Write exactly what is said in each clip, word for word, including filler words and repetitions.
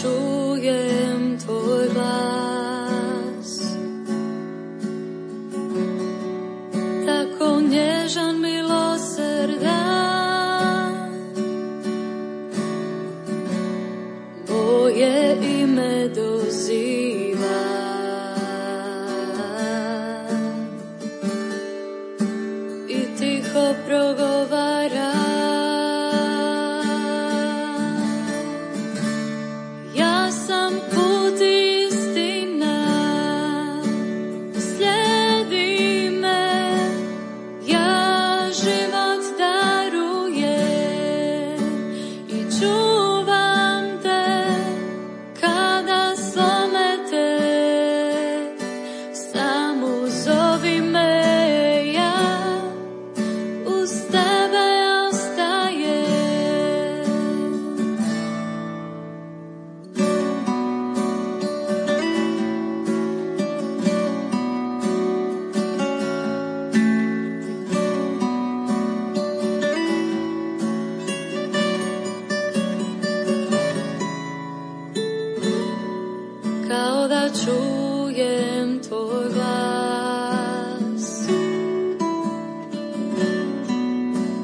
čujem tvoj glas, tako nježan, milosrdan, moje ime doziva. I tiho progovara, ja sam put i istina, slijedi me, ja život darujem i čuvam te kada slome te, samo zovi me, ja uz tebe ostajem. Kao da čujem tvoj glas,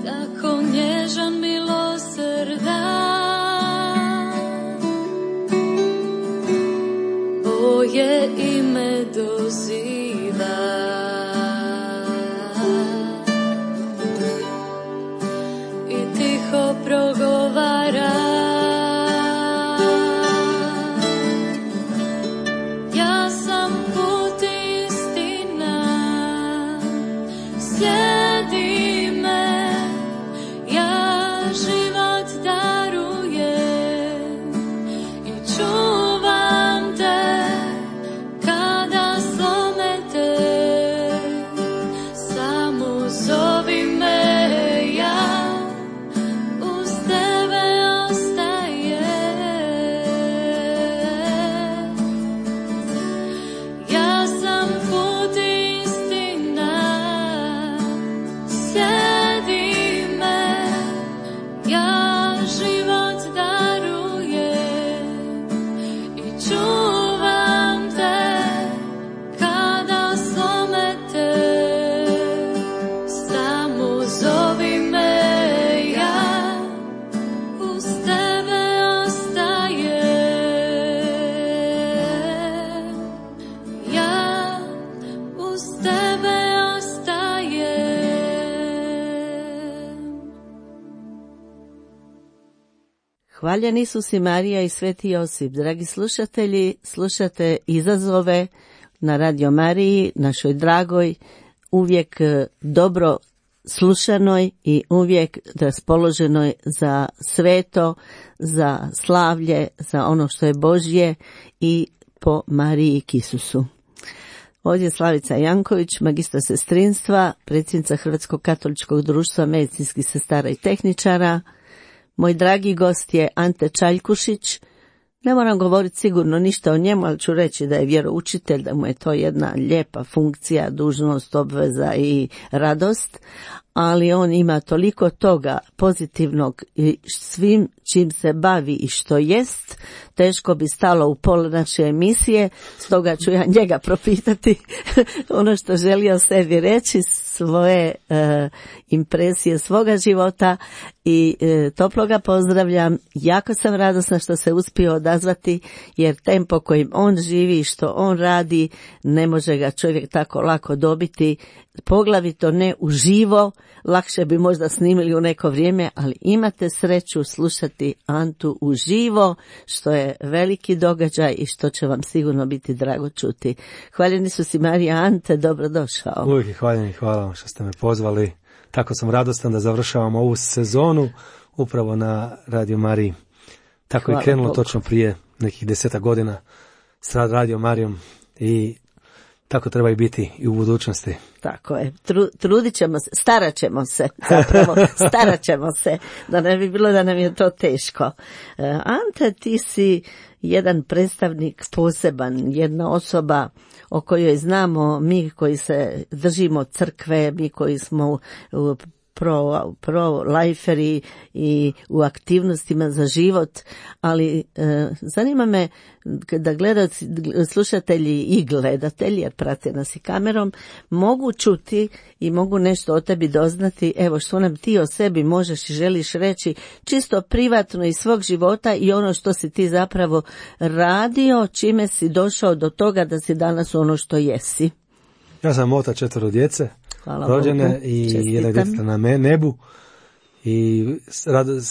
tako nježan, milosrdan, moje ime doziva. I tiho progovara, ja sam put i istina, slijedi me, ja život darujem i čuvam te kada slome te, samo zovi me, ja uz tebe ostajem. Ja sam put i istina, slijedi me, ja život darujem i čuvam te kada slome te, samo zovi me, ja uz tebe ostajem. Ja uz tebe ostajem. Hvaljen Isus i Marija i Sveti Josip. Dragi slušatelji, slušate izazove na Radio Mariji, našoj dragoj, uvijek e, dobro slušanoj i uvijek raspoloženoj za sveto, za slavlje, za ono što je Božje i po Mariji k Isusu. Ovdje je Slavica Janković, magistra sestrinstva, predsjednica Hrvatskog katoličkog društva medicinskih sestara i tehničara. Moj dragi gost je Ante Čaljkušić. Ne moram govoriti sigurno ništa o njemu, ali ću reći da je vjeroučitelj, da mu je to jedna lijepa funkcija, dužnost, obveza i radost, ali on ima toliko toga pozitivnog i svim čim se bavi i što jest, teško bi stalo u pola naše emisije, stoga ću ja njega propitati ono što želi o sebi reći, svoje e, impresije svoga života i e, toplo ga pozdravljam. Jako sam radosna što se uspio odazvati, jer tempo kojim on živi i što on radi ne može ga čovjek tako lako dobiti, poglavito ne uživo. Lakše bi možda snimili u neko vrijeme, ali imate sreću slušati Antu uživo, što je veliki događaj i što će vam sigurno biti drago čuti. Hvaljeni su si Marija, Ante, dobrodošao. Uvijek hvaljeni, hvala vam što ste me pozvali. Tako sam radostan da završavamo ovu sezonu upravo na Radio Mariji. Tako hvala je krenulo Bogu. Točno prije nekih deseta godina s Radio Marijom i tako treba i biti i u budućnosti. Tako je. Tru, trudit ćemo se, starat ćemo se, zapravo, starat ćemo se, da ne bi bilo da nam je to teško. Ante, ti si jedan predstavnik poseban, jedna osoba o kojoj znamo mi koji se držimo crkve, mi koji smo pro, pro liferi i u aktivnostima za život, ali e, zanima me da gledalci, slušatelji i gledatelji, jer prate nas i kamerom, mogu čuti i mogu nešto o tebi doznati, evo što nam ti o sebi možeš i želiš reći, čisto privatno iz svog života i ono što si ti zapravo radio, čime si došao do toga da si danas ono što jesi. Ja sam otac četvero djece, Hvala rođene Bogu. i Čestitam. jedna djeca na me, nebu i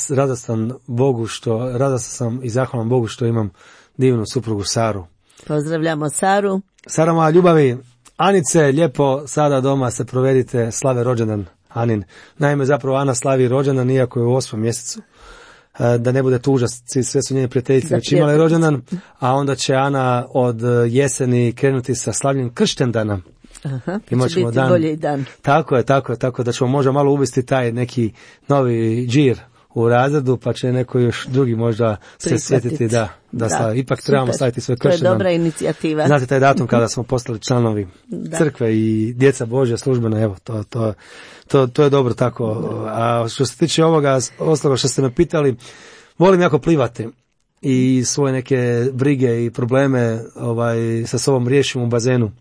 radostan Bogu što, radostan sam i zahvalan Bogu što imam divnu suprugu Saru. Pozdravljamo Saru. Sara moja ljubavi, Anice, lijepo sada doma se provedite, slave rođendan Anin. Naime, zapravo Ana slavi rođendan iako je u osmom mjesecu. Da ne bude tuža, sve su njene prijateljice već imale rođendan, a onda će Ana od jeseni krenuti sa slavljenjem krštendana. Aha, Imat će ćemo biti dan. bolji dan. Tako je, tako je, tako da ćemo možda malo uvesti taj neki novi džir u razredu, pa će neko još drugi možda se Prihvatiti. sjetiti da, da, Da, slavi. Ipak super. trebamo slaviti svoj To je krštendan. dobra inicijativa. Znate taj datum kada smo postali članovi Da. crkve i djeca Božja službena, evo, to, to, to, to je dobro tako. A što se tiče ovoga, ostaloga što ste me pitali, volim jako plivati i svoje neke brige i probleme ovaj, sa sobom riješim u bazenu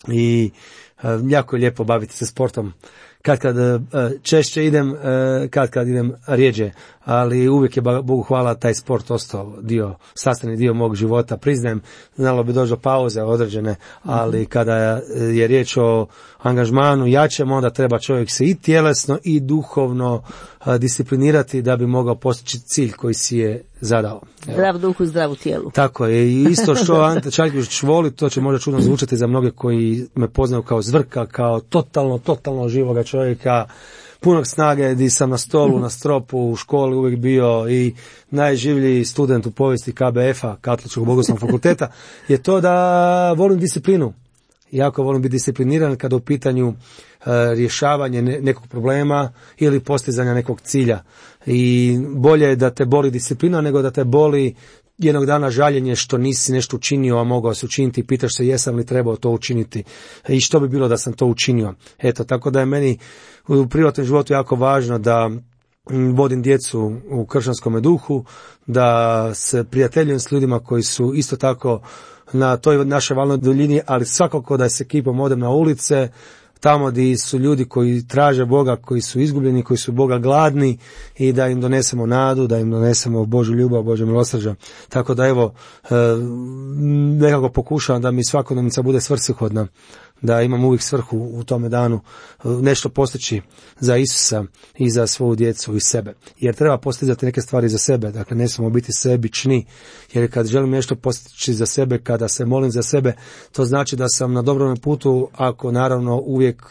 i e, jako je lijepo baviti se sportom. Kad kad e, češće idem, e, kad kad idem rijeđe, ali uvijek je Bogu hvala taj sport ostao dio, sastavni dio mog života. Priznajem, znalo bi doći do pauze određene, ali kada je riječ o angažmanu jačem, onda treba čovjek se i tjelesno i duhovno a, disciplinirati da bi mogao postići cilj koji si je zadao. Evo. Zdrav duh u zdravu tijelu. Tako je, i isto što Ante Čaljković voli, to će možda čudno zvučati za mnoge koji me poznaju kao zvrka, kao totalno, totalno živoga čovjeka, punog snage, di sam na stolu, na stropu, u školi uvijek bio i najživlji student u povijesti K B F-a, Katoličkog bogoslovnog fakulteta, je to da volim disciplinu. Jako volim biti discipliniran kada u pitanju e, rješavanje ne, nekog problema ili postizanja nekog cilja. I bolje je da te boli disciplina nego da te boli jednog dana žaljenje što nisi nešto učinio, a mogao se učiniti i pitaš se jesam li trebao to učiniti i što bi bilo da sam to učinio. Eto, tako da je meni u privatnom životu jako važno da vodim djecu u kršćanskom duhu, da se prijateljujem s ljudima koji su isto tako na toj našoj valnoj duljini, ali svakako da s ekipom odem na ulice, tamo gdje su ljudi koji traže Boga, koji su izgubljeni, koji su Boga gladni i da im donesemo nadu, da im donesemo Božju ljubav, Božju milosrđa. Tako da evo, nekako pokušavam da mi svakodnevnica bude svrsishodna, da imam uvijek svrhu u tome danu nešto postići za Isusa i za svoju djecu i sebe. Jer treba postizati neke stvari za sebe, dakle ne smemo biti sebični, jer kad želim nešto postići za sebe, kada se molim za sebe, to znači da sam na dobrom putu ako naravno uvijek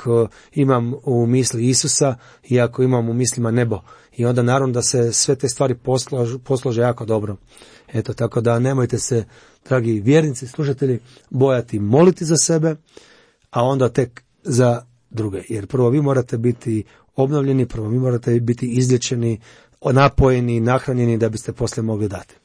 imam u misli Isusa i ako imam u mislima nebo. I onda naravno da se sve te stvari poslože, poslože jako dobro. Eto, tako da nemojte se, dragi vjernici, slušatelji, bojati moliti za sebe, a onda tek za druge. Jer prvo vi morate biti obnovljeni, prvo vi morate biti izlječeni, napojeni, nahranjeni da biste poslije mogli dati.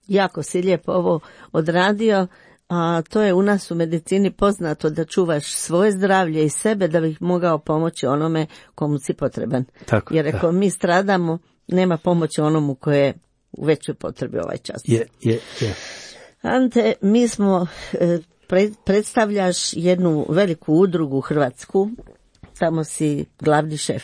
Jako si lijepo ovo odradio, a to je u nas u medicini poznato da čuvaš svoje zdravlje i sebe da bih mogao pomoći onome komu si potreban. Tako, jer ako mi stradamo, nema pomoći onomu koje je u većoj potrebi ovaj čas. Je, je, je. Ante, mi smo... E, predstavljaš jednu veliku udrugu hrvatsku, tamo si glavni šef.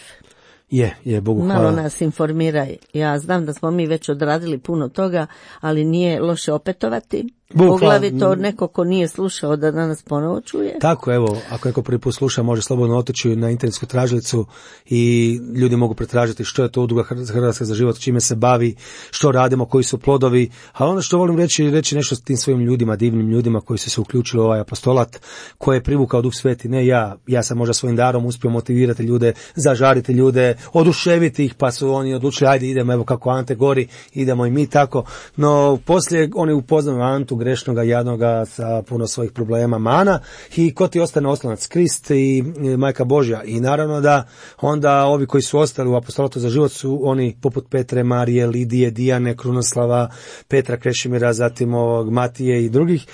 Je, je, Bogu hvala. Malo nas informiraj. Ja znam da smo mi već odradili puno toga, ali nije loše opetovati. Poglavito neko ko nije slušao da danas ponovo čuje. Tako, evo, ako neko prvi put sluša, može slobodno otići na internetsku tražilicu i ljudi mogu pretražiti što je to udruga Hrvatska za život, čime se bavi, što radimo, koji su plodovi. A ono što volim reći, reći nešto s tim svojim ljudima, divnim ljudima koji su se uključili u ovaj apostolat, koje je privukao Duh Sveti. Ne ja, ja sam možda svojim darom uspio motivirati ljude, zažariti ljude, oduševiti ih, pa su oni odlučili, ajde idemo, evo kako Ante gori, idemo i mi tako. No, poslije oni upoznaju Antu, grešnoga, jadnoga, sa puno svojih problema, mana, i ko ti ostane oslonac? Krist i Majka Božja. I naravno da onda ovi koji su ostali u apostolatu za život su oni poput Petre, Marije, Lidije, Dijane, Krunoslava, Petra Krešimira, zatim ovog Matije i drugih,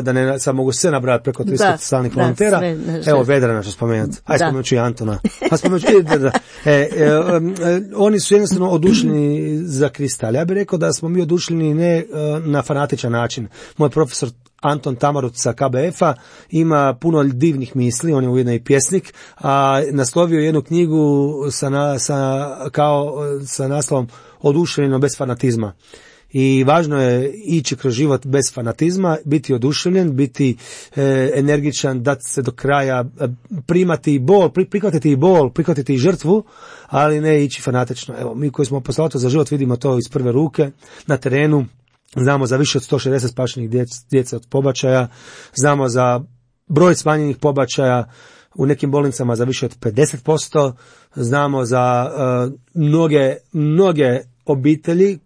da ne sad mogu sve nabrati preko tristo stalnih volontera. Sve, evo Vedrana što spomenuti. Aj spomenut ću i Antona. A spomenut ću, da, da. E, e, e, oni su jednostavno odušljeni za Krista, ali ja bih rekao da smo mi odušljeni ne e, na fanatičan način. Moj profesor Anton Tamarut sa K B F-a ima puno divnih misli, on je ujedno i pjesnik, a naslovio jednu knjigu sa, na, sa, kao, sa naslovom Oduševljeno bez fanatizma. I važno je ići kroz život bez fanatizma, biti oduševljen, biti e, energičan, dati se do kraja, primati i bol, pri, prihvatiti i bol, prihvatiti i žrtvu, ali ne ići fanatično. Evo, mi koji smo apostolatu za život vidimo to iz prve ruke, na terenu. Znamo za više od sto šezdeset spašenih djece, djece od pobačaja, znamo za broj smanjenih pobačaja u nekim bolnicama za više od pedeset posto, znamo za uh, mnoge, mnoge obitelji,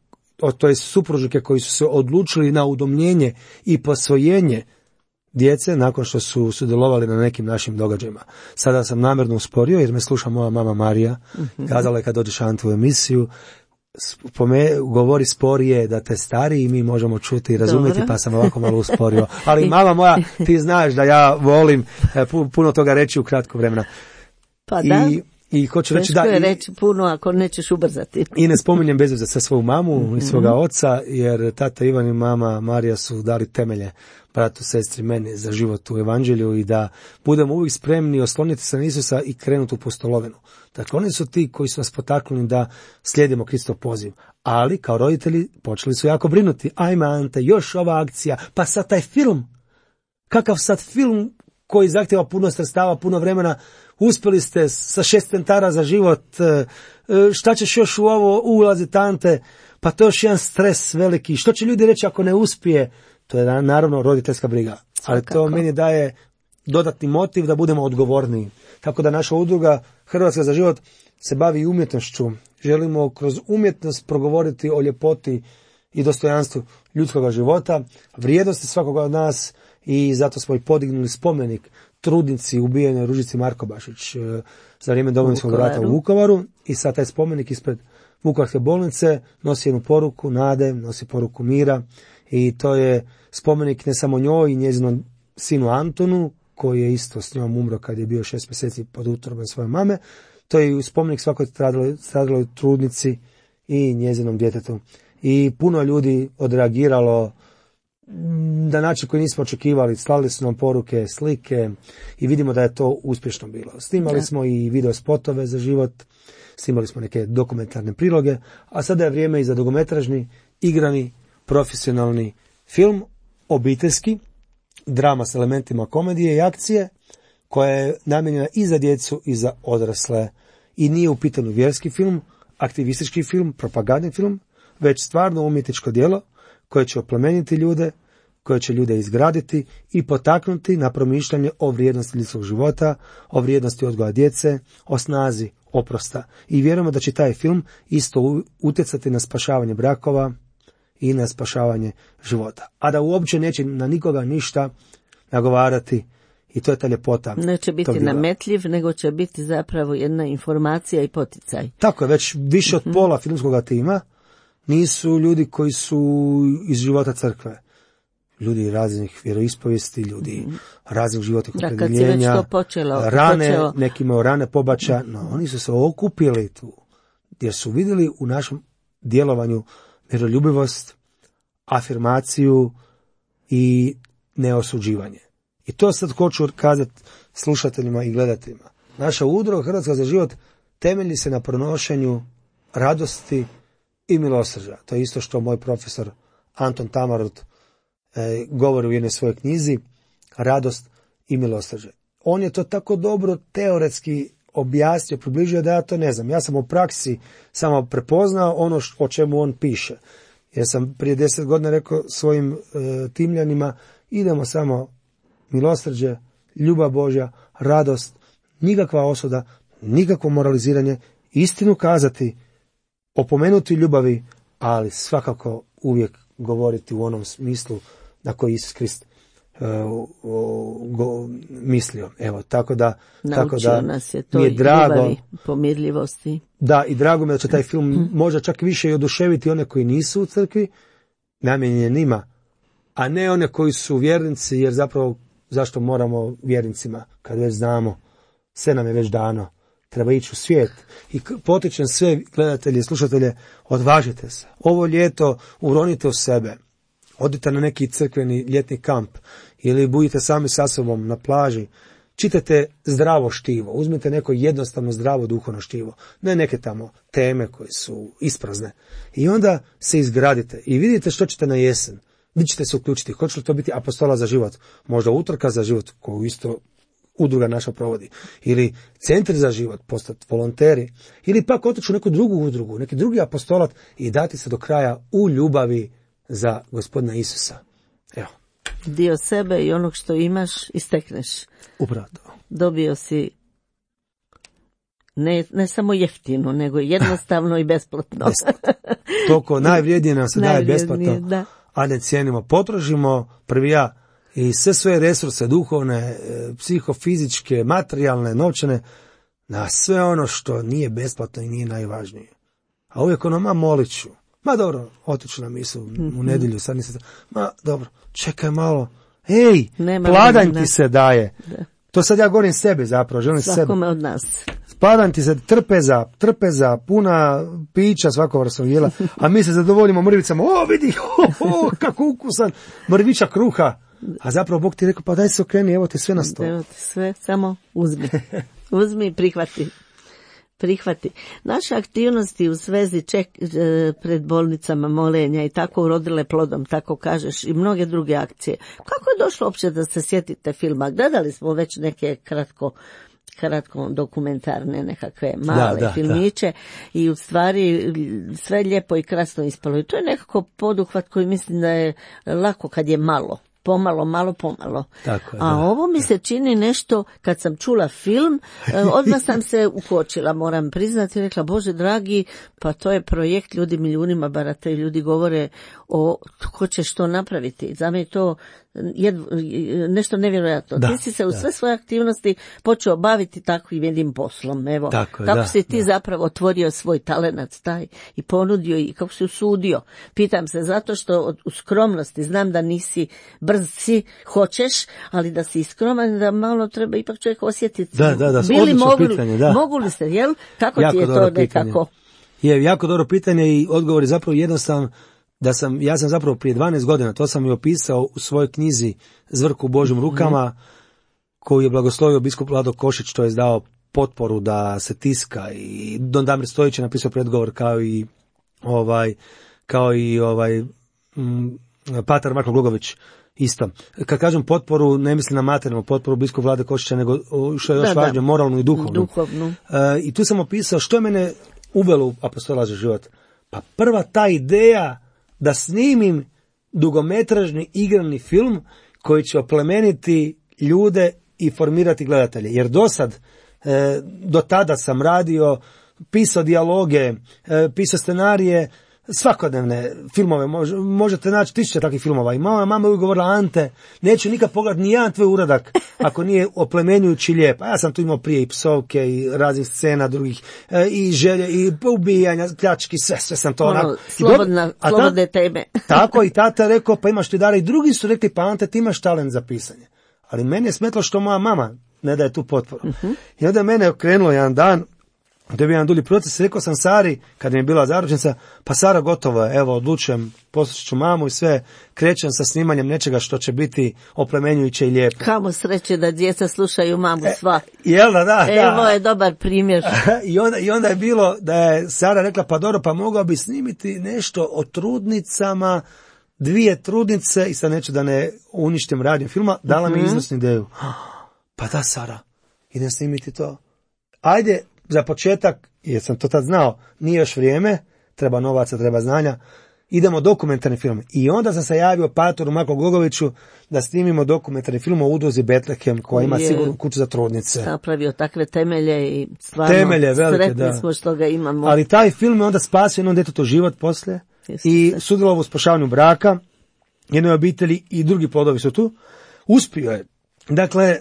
to je supružnike koji su se odlučili na udomljenje i posvojenje djece nakon što su sudjelovali na nekim našim događajima. Sada sam namjerno usporio jer me sluša moja mama Marija, mm-hmm. kazala je kad dođeš Antu u emisiju, Spome, govori sporije da te stari i mi možemo čuti i razumjeti. Dobro. Pa sam ovako malo usporio. Ali mama moja, ti znaš da ja volim puno toga reći u kratko vremena. Pa da. I, i hoću reći da je reći puno ako nećeš ubrzati. I ne spominjem bez veze sa svoju mamu mm-hmm. i svoga oca, jer tata Ivan i mama Marija su dali temelje bratu, sestri, meni za život u evanđelju i da budemo uvijek spremni osloniti se na Isusa i krenuti u pustolovinu. Dakle, oni su ti koji su nas potaknuli da slijedimo Kristov poziv. Ali, kao roditelji, počeli su jako brinuti. Ajme, Ante, još ova akcija, pa sad taj film. Kakav sad film koji zahtjeva puno sredstava, puno vremena, uspjeli ste sa šest centara za život, šta ćeš još u ovo ulaziti, Ante, pa to je još jedan stres veliki. Što će ljudi reći ako ne uspije? To je naravno roditeljska briga. Ali to meni daje dodatni motiv da budemo odgovorniji. Tako da naša udruga Hrvatska za život se bavi umjetnošću. Želimo kroz umjetnost progovoriti o ljepoti i dostojanstvu ljudskog života, vrijednosti svakoga od nas, i zato smo i podignuli spomenik trudnici ubijenoj Ružici Markobašić za vrijeme Domovinskog rata u Vukovaru, i sad taj spomenik ispred Vukovarske bolnice nosi jednu poruku nade, nosi poruku mira, i to je spomenik ne samo njoj i njezinom sinu Antonu, koji je isto s njom umro kad je bio šest mjeseci pod utrobom svoje mame. To je spomenik svakoj stradaloj, stradaloj trudnici i njezinom djetetu. I puno ljudi odreagiralo na način koji nismo očekivali, slali su nam poruke, slike, i vidimo da je to uspješno bilo. Snimali da. smo i video spotove za život, snimali smo neke dokumentarne priloge, a sada je vrijeme i za dugometražni, igrani, profesionalni film, obiteljski, drama s elementima komedije i akcije, koja je namijenjena i za djecu i za odrasle. I nije u pitanju vjerski film, aktivistički film, propagandni film, već stvarno umjetničko djelo koje će oplemeniti ljude, koje će ljude izgraditi i potaknuti na promišljanje o vrijednosti ljudskog života, o vrijednosti odgoja djece, o snazi oprosta. I vjerujemo da će taj film isto utjecati na spašavanje brakova i na spašavanje života. A da uopće neće na nikoga ništa nagovarati, i to je ta ljepota. Neće biti nametljiv, nego će biti zapravo jedna informacija i poticaj. Tako je, već više od pola filmskog tima nisu ljudi koji su iz života crkve. Ljudi raznih vjeroispovijesti, ljudi raznih životnih opredjeljenja, rane, počelo. neki imaju rane pobačaja, no oni su se okupili tu, jer su vidjeli u našem djelovanju miroljubivost, afirmaciju i neosuđivanje. I to sad hoću kazati slušateljima i gledateljima. Naša udruga Hrvatska za život temelji se na pronošenju radosti i milosrđa. To je isto što moj profesor Anton Tamarut e, govori u jednoj svojoj knjizi, radost i milosrđe. On je to tako dobro teoretski objasnio, približio da ja to ne znam. Ja sam u praksi samo prepoznao ono š, o čemu on piše. Jer sam prije deset godina rekao svojim e, timljanima, idemo samo milosrđe, ljubav Božja, radost, nikakva osuda, nikakvo moraliziranje, istinu kazati, opomenuti ljubavi, ali svakako uvijek govoriti u onom smislu na koji Isus Krist uh, uh, go, mislio. Evo, tako da, tako da nas je to mi je drago, ljubavi, pomirljivosti. Da, i drago mi je da će taj film možda čak više i oduševiti one koji nisu u crkvi, namijenjen je njima, a ne one koji su vjernici, jer zapravo zašto moramo vjernicima, kad već znamo, sve nam je već dano, treba ići u svijet. I potičem sve gledatelje i slušatelje, odvažite se. Ovo ljeto uronite u sebe, odite na neki crkveni ljetni kamp ili budite sami sa sobom na plaži, čitajte zdravo štivo, uzmite neko jednostavno zdravo duhovno štivo, ne neke tamo teme koje su isprazne. I onda se izgradite i vidite što ćete na jesen. Vi ćete se uključiti. Hoće li to biti apostola za život? Možda utrka za život, koju isto udruga naša provodi. Ili centri za život, postati volonteri. Ili pak otići u neku drugu udrugu, neki drugi apostolat i dati se do kraja u ljubavi za Gospodina Isusa. Evo. Dio sebe i onog što imaš istekneš. Upravo to. Dobio si ne, ne samo jeftino, nego jednostavno i besplatno. Toliko najvrijednije nam se daje besplatno, da. A ne cijenimo. Potrošimo prvi ja i sve svoje resurse, duhovne, psihofizičke, materijalne, novčane, na sve ono što nije besplatno i nije najvažnije. A uvijek ono, ma molit ću. Ma dobro, otiću na misu u nedjelju, sad nisam... Ma dobro, čekaj malo. Ej, Nema pladanj vremena. Ti se daje. Da. To sad ja govorim sebi zapravo, želim Svakome sebe. od nas. Pladanj ti se trpeza, trpeza, puna pića svako vrstnog jela, a mi se zadovoljimo mrvicama. O, vidi, o, o, kako ukusan, mrvića kruha. A zapravo Bog ti rekao, pa daj se okreni, evo ti sve na stolu. Evo ti sve, samo uzmi. Uzmi i prihvati. Prihvati. Naše aktivnosti u svezi ček, pred bolnicama, molenja i tako urodile plodom, tako kažeš, i mnoge druge akcije. Kako je došlo uopće da se sjetite filma? Gledali smo već neke kratko kratko dokumentarne nekakve male da, da, filmiće da. I u stvari sve lijepo i krasno ispalo. I to je nekako poduhvat koji mislim da je lako kad je malo. Pomalo, malo, pomalo. Tako je, A da, ovo mi da. se čini nešto, kad sam čula film, odmah sam se ukočila, moram priznati, rekla, Bože dragi, pa to je projekt, ljudi milijunima barataju, ljudi govore o ko će što napraviti. Za me je to jed, nešto nevjerojatno. Da, ti si se u da. sve svoje aktivnosti počeo baviti takvim jednim poslom. Evo, Tako je, kako da, si ti da. zapravo otvorio svoj talenat taj i ponudio i kako si usudio. Pitam se zato što u skromnosti znam da nisi brz si, hoćeš, ali da si skroman, da malo treba ipak čovjek osjetiti. Da, da, da, Bili odlično mogli, pitanje, da. mogu li ste, jel? Kako Jako ti je dobro to nekako? Je, jako dobro pitanje i odgovor je zapravo jednostavan. Da sam, ja sam zapravo prije dvanaest godina, to sam i opisao u svojoj knjizi Zvrk u Božjim rukama, mm. koju je blagoslovio biskup Vlado Košić, to je dao potporu da se tiska, i Don Damir Stojić je napisao predgovor kao i ovaj, kao i ovaj m, patar Marko Glogović isto. Kad kažem potporu, ne mislim na materijalnu potporu biskup Vlade Košića, nego što je još da, važnije, da. moralnu i duhovnu. duhovnu. Uh, I tu sam opisao što je mene uvelo u apostola za život. Pa prva ta ideja da snimim dugometražni igrani film koji će oplemeniti ljude i formirati gledatelje. Jer do sad, e, do tada sam radio, pisao dijaloge, e, pisao scenarije, svakodnevne filmove, Mož, možete naći tisuće takvih filmova. I mama, mama je govorila, Ante, neću nikad pogledati ni jedan tvoj uradak ako nije oplemenjujući lijep. A ja sam tu imao prije i psovke i raznih scena drugih, e, i želje, i ubijanja, pljački, sve, sve sam to ono, onako. Slobodna, ta, slobodne teme. Tako, i tata je rekao, pa imaš ti dara, i drugi su rekli, pa Ante, ti imaš talent za pisanje. Ali meni je smetlo što moja mama ne daje tu potporu. Uh-huh. I onda je mene okrenulo jedan dan, to je bio jedan dulji proces, rekao sam Sari, kad mi je bila zaručnica, pa Sara, gotovo je, evo, odlučujem, poslušat ću mamu i sve, krećem sa snimanjem nečega što će biti oplemenjujuće i lijepo. Kamo sreće da djeca slušaju mamu sva. E, jel da, da, Evo da. je dobar primjer. I onda, I onda je bilo da je Sara rekla, pa dobro, pa mogao bi snimiti nešto o trudnicama, dvije trudnice, i sad neću da ne uništim radio filma, dala mi mm-hmm. izvrsnu ideju. Pa da, Sara, idem snimiti to. Ajde, za početak, jer sam to tad znao, nije još vrijeme, treba novaca, treba znanja, idemo dokumentarni film. I onda sam se javio patoru Marko Glogoviću da snimimo dokumentarni film o udruzi Betlehem, koja ima sigurnu kuću za trudnice. Napravio takve temelje i stvarno temelje velike, sretni da. smo što ga imamo. Ali taj film je onda spasio jednom djetetu život poslije. Jeste. I sudjelovao u spašavanju braka jednoj obitelji i drugi plodovi su tu. Uspio je. Dakle,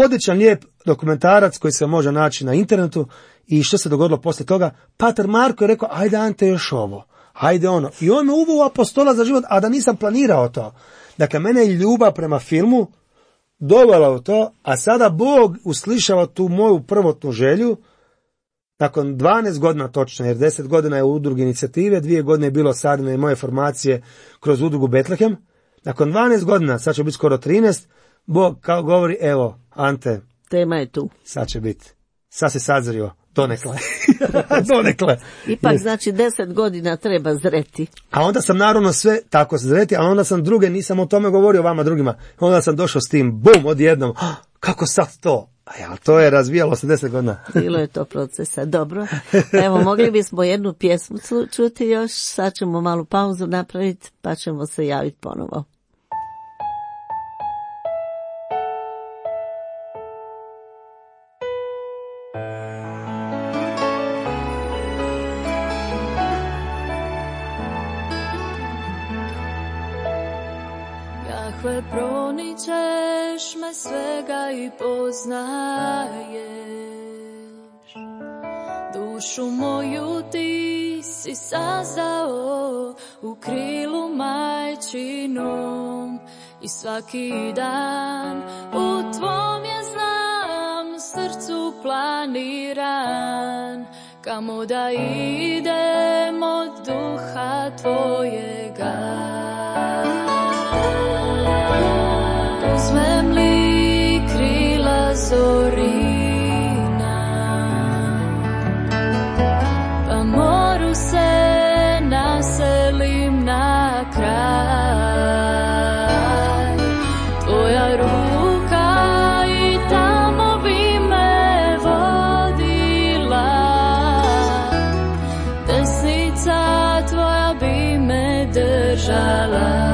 odličan, lijep dokumentarac koji se može naći na internetu. I što se dogodilo poslije toga? Pater Marko je rekao, ajde Ante još ovo, ajde ono. I on me uveo u apostola za život, a da nisam planirao to. Dakle, mene je ljubav prema filmu dovela u to, a sada Bog uslišava tu moju prvotnu želju, nakon dvanaest godina točno, jer deset godina je u udrugi inicijative, dvije godine je bilo sadne moje formacije kroz udrugu Betlehem. Nakon dvanaest godina, sad će biti skoro trinaest, Bog kao govori, evo, Ante, tema je tu. Sad će biti. Sad se sazrio. Donekle. Donekle. Ipak znači deset godina treba zreti. A onda sam naravno sve tako zreti, a onda sam druge, nisam o tome govorio vama drugima. Onda sam došao s tim, bum, odjednom. Kako sad to? A ja, to je razvijalo se deset godina. Bilo je to procesa. Dobro. Evo, mogli bismo jednu pjesmu čuti još. Sad ćemo malu pauzu napraviti, pa ćemo se javiti ponovo. Jahve, proničeš me svega i poznaješ, dušu moju ti si sazdao u krilu majčinom i svaki dan u tvom je znam srcu planiran, kamo da idem od duha tvojega. Uzmem li krila zorina, pa moru se naselim na kraj. Tvoja ruka i tamo bi me vodila, desnica tvoja bi me držala.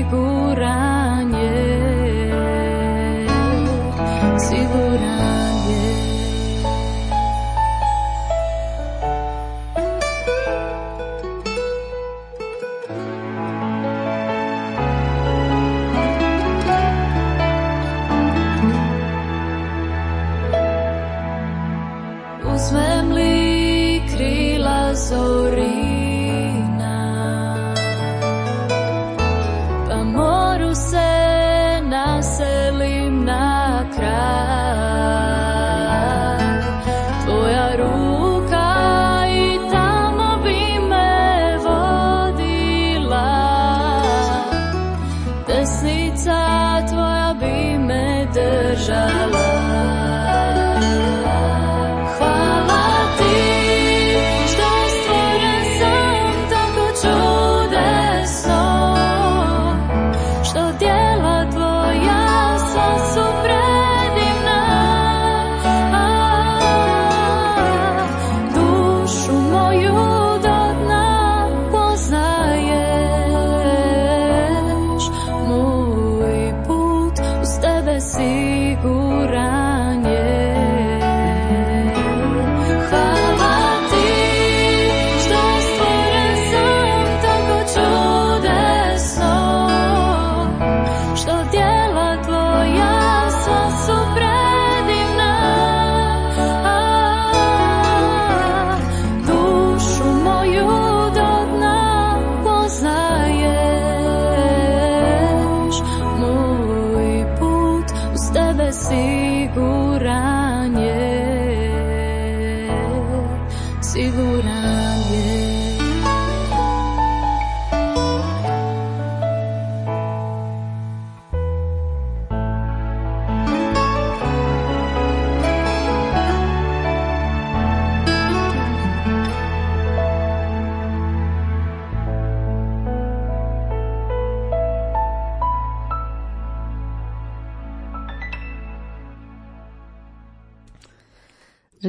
Siguran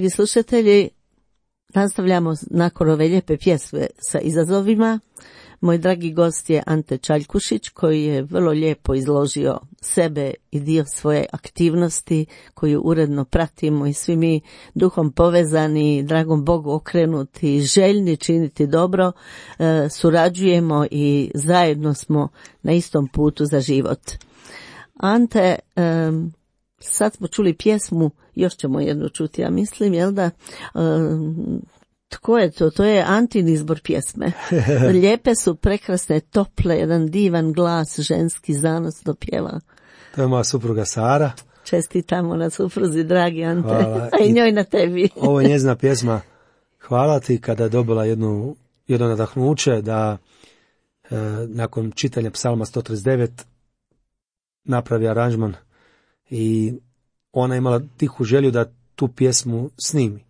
Dragi slušatelji, nastavljamo nakon ove lijepe pjesme sa izazovima. Moj dragi gost je Ante Čaljkušić, koji je vrlo lijepo izložio sebe i dio svoje aktivnosti koju uredno pratimo i svi mi duhom povezani, dragom Bogu okrenuti, željni činiti dobro, e, surađujemo i zajedno smo na istom putu za život. Ante, e, sad smo čuli pjesmu, još ćemo jednu čuti, ja mislim, jel da... E, Tko je to? To je Antin izbor pjesme. Lijepe su, prekrasne, tople, jedan divan glas, ženski zanosno pjeva. To je moja supruga Sara. Čestitamo na supruzi, dragi Ante. Hvala. A i njoj na tebi. Ovo je njezina pjesma Hvala ti, kada je dobila jednu, jedno nadahnuće da e, nakon čitanja psalma sto trideset devet napravi aranžman i ona je imala tihu želju da tu pjesmu snimi.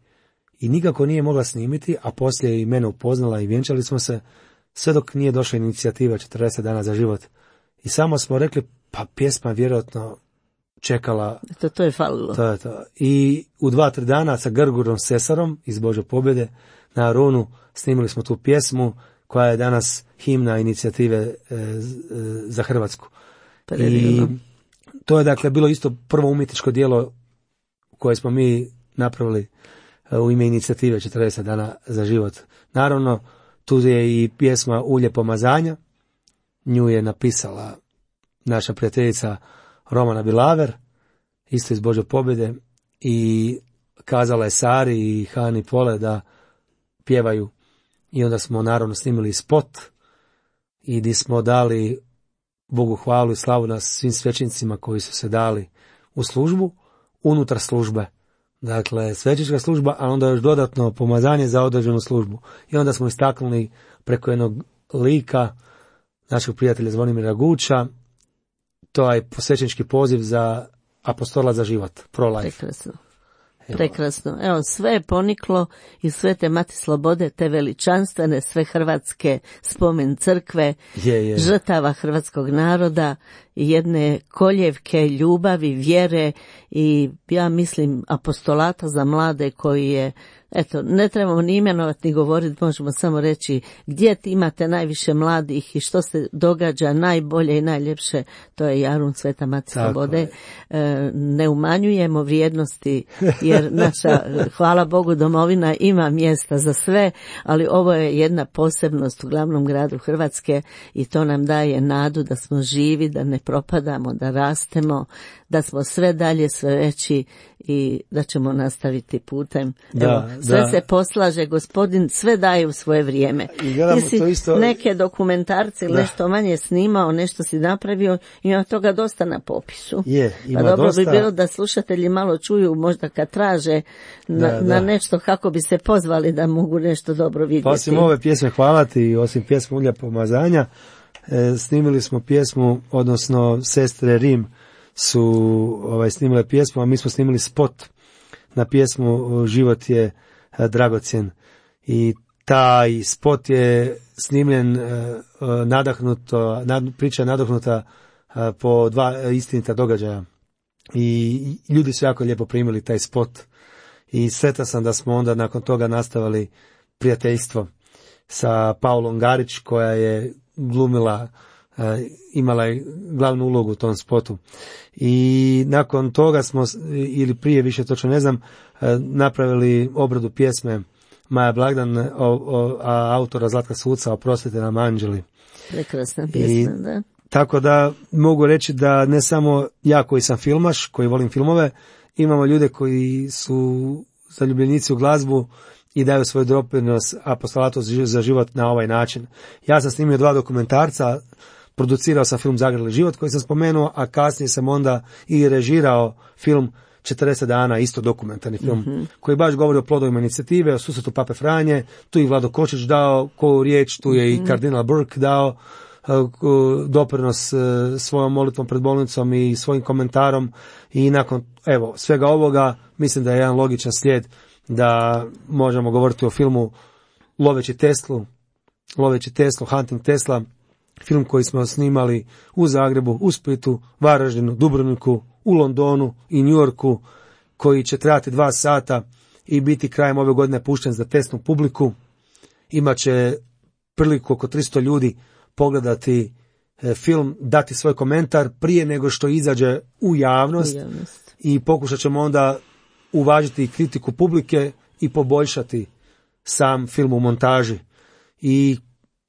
I nikako nije mogla snimiti, a poslije je i mene upoznala i vjenčali smo se, sve dok nije došla inicijativa četrdeset dana za život. I samo smo rekli, pa pjesma vjerojatno čekala. To, to je falilo. To je to. I u dva, tri dana sa Grgurom Sesarom iz Božje pobjede na Arunu snimili smo tu pjesmu koja je danas himna inicijative e, za Hrvatsku. Predivno. I to je dakle bilo isto prvo umjetničko djelo koje smo mi napravili u ime inicijative četrdeset dana za život. Naravno, tu je i pjesma Ulje pomazanja. Nju je napisala naša prijateljica Romana Bilaver, isto iz Božje pobjede, i kazala je Sari i Hani Pole da pjevaju. I onda smo naravno snimili spot i gdje smo dali Bogu hvalu i slavu na svim svećenicima koji su se dali u službu, unutar službe. Dakle, svećnička služba, a onda još dodatno pomazanje za određenu službu. I onda smo istaknuli preko jednog lika našeg prijatelja Zvonimira Guča, to je svećnički poziv za apostola za život, pro-life. Prekrasno. Prekrasno. Evo, sve je poniklo i sve te Mati Slobode, te veličanstvene, sve hrvatske spomen crkve, je, je. žrtava hrvatskog naroda, jedne koljevke ljubavi, vjere i ja mislim apostolata za mlade koji je, eto, ne trebamo ni imenovati ni govoriti, možemo samo reći gdje imate najviše mladih i što se događa najbolje i najljepše, to je Jarun Sveta Mati Slobode. E, ne umanjujemo vrijednosti jer naša, hvala Bogu, domovina ima mjesta za sve, ali ovo je jedna posebnost u glavnom gradu Hrvatske i to nam daje nadu da smo živi, da ne propadamo, da rastemo, da smo sve dalje sve veći i da ćemo nastaviti putem. Da, Evo, sve da. se poslaže, gospodin sve daje u svoje vrijeme. Ti si isto... neke dokumentarce ili nešto manje snimao, nešto si napravio, ima toga dosta na popisu. Je, ima pa dobro dosta. bi bilo da slušatelji malo čuju, možda kad traže na, da, da. na nešto kako bi se pozvali da mogu nešto dobro vidjeti. Pa osim ove pjesme Hvala ti, osim pjesme Ulja pomazanja, e, snimili smo pjesmu, odnosno sestre Rim su ovaj, snimile pjesmu, a mi smo snimili spot na pjesmu Život je dragocjen. I taj spot je snimljen uh, nadahnuto, nad, priča nadahnuta uh, po dva istinita događaja. I ljudi su jako lijepo primili taj spot. I sretan sam da smo onda nakon toga nastavili prijateljstvo sa Paulom Garić, koja je glumila, uh, imala je glavnu ulogu u tom spotu. I nakon toga smo, ili prije više točno ne znam, uh, napravili obradu pjesme Maja Blagdan, o, o, a autora Zlatka Suca, Oprostite nam anđeli. Prekrasna pjesma, I, da. Tako da mogu reći da ne samo ja koji sam filmaš, koji volim filmove, imamo ljude koji su zaljubljenici u glazbu i daju svoj doprinos apostolatu za život na ovaj način. Ja sam snimio dva dokumentarca, producirao sam film Zagrali život koji sam spomenuo, a kasnije sam onda i režirao film četrdeset dana, isto dokumentarni film, mm-hmm. koji baš govori o plodovima inicijative, o susretu Pape Franje, tu je Vlado Kočić dao koju riječ, tu je mm-hmm. i kardinal Burke dao uh, doprinos uh, svojom molitvom pred bolnicom i svojim komentarom i nakon, evo, svega ovoga, mislim da je jedan logičan slijed da možemo govoriti o filmu Loveći Teslu, Loveći Teslu, Hunting Tesla, film koji smo snimali u Zagrebu, u Splitu, Varaždinu, Dubrovniku, u Londonu i New Yorku, koji će trajati dva sata i biti krajem ove godine pušten za testnu publiku. Imaće priliku oko tristo ljudi pogledati film, dati svoj komentar prije nego što izađe u javnost, u javnost. I pokušat ćemo onda uvažiti kritiku publike i poboljšati sam film u montaži. I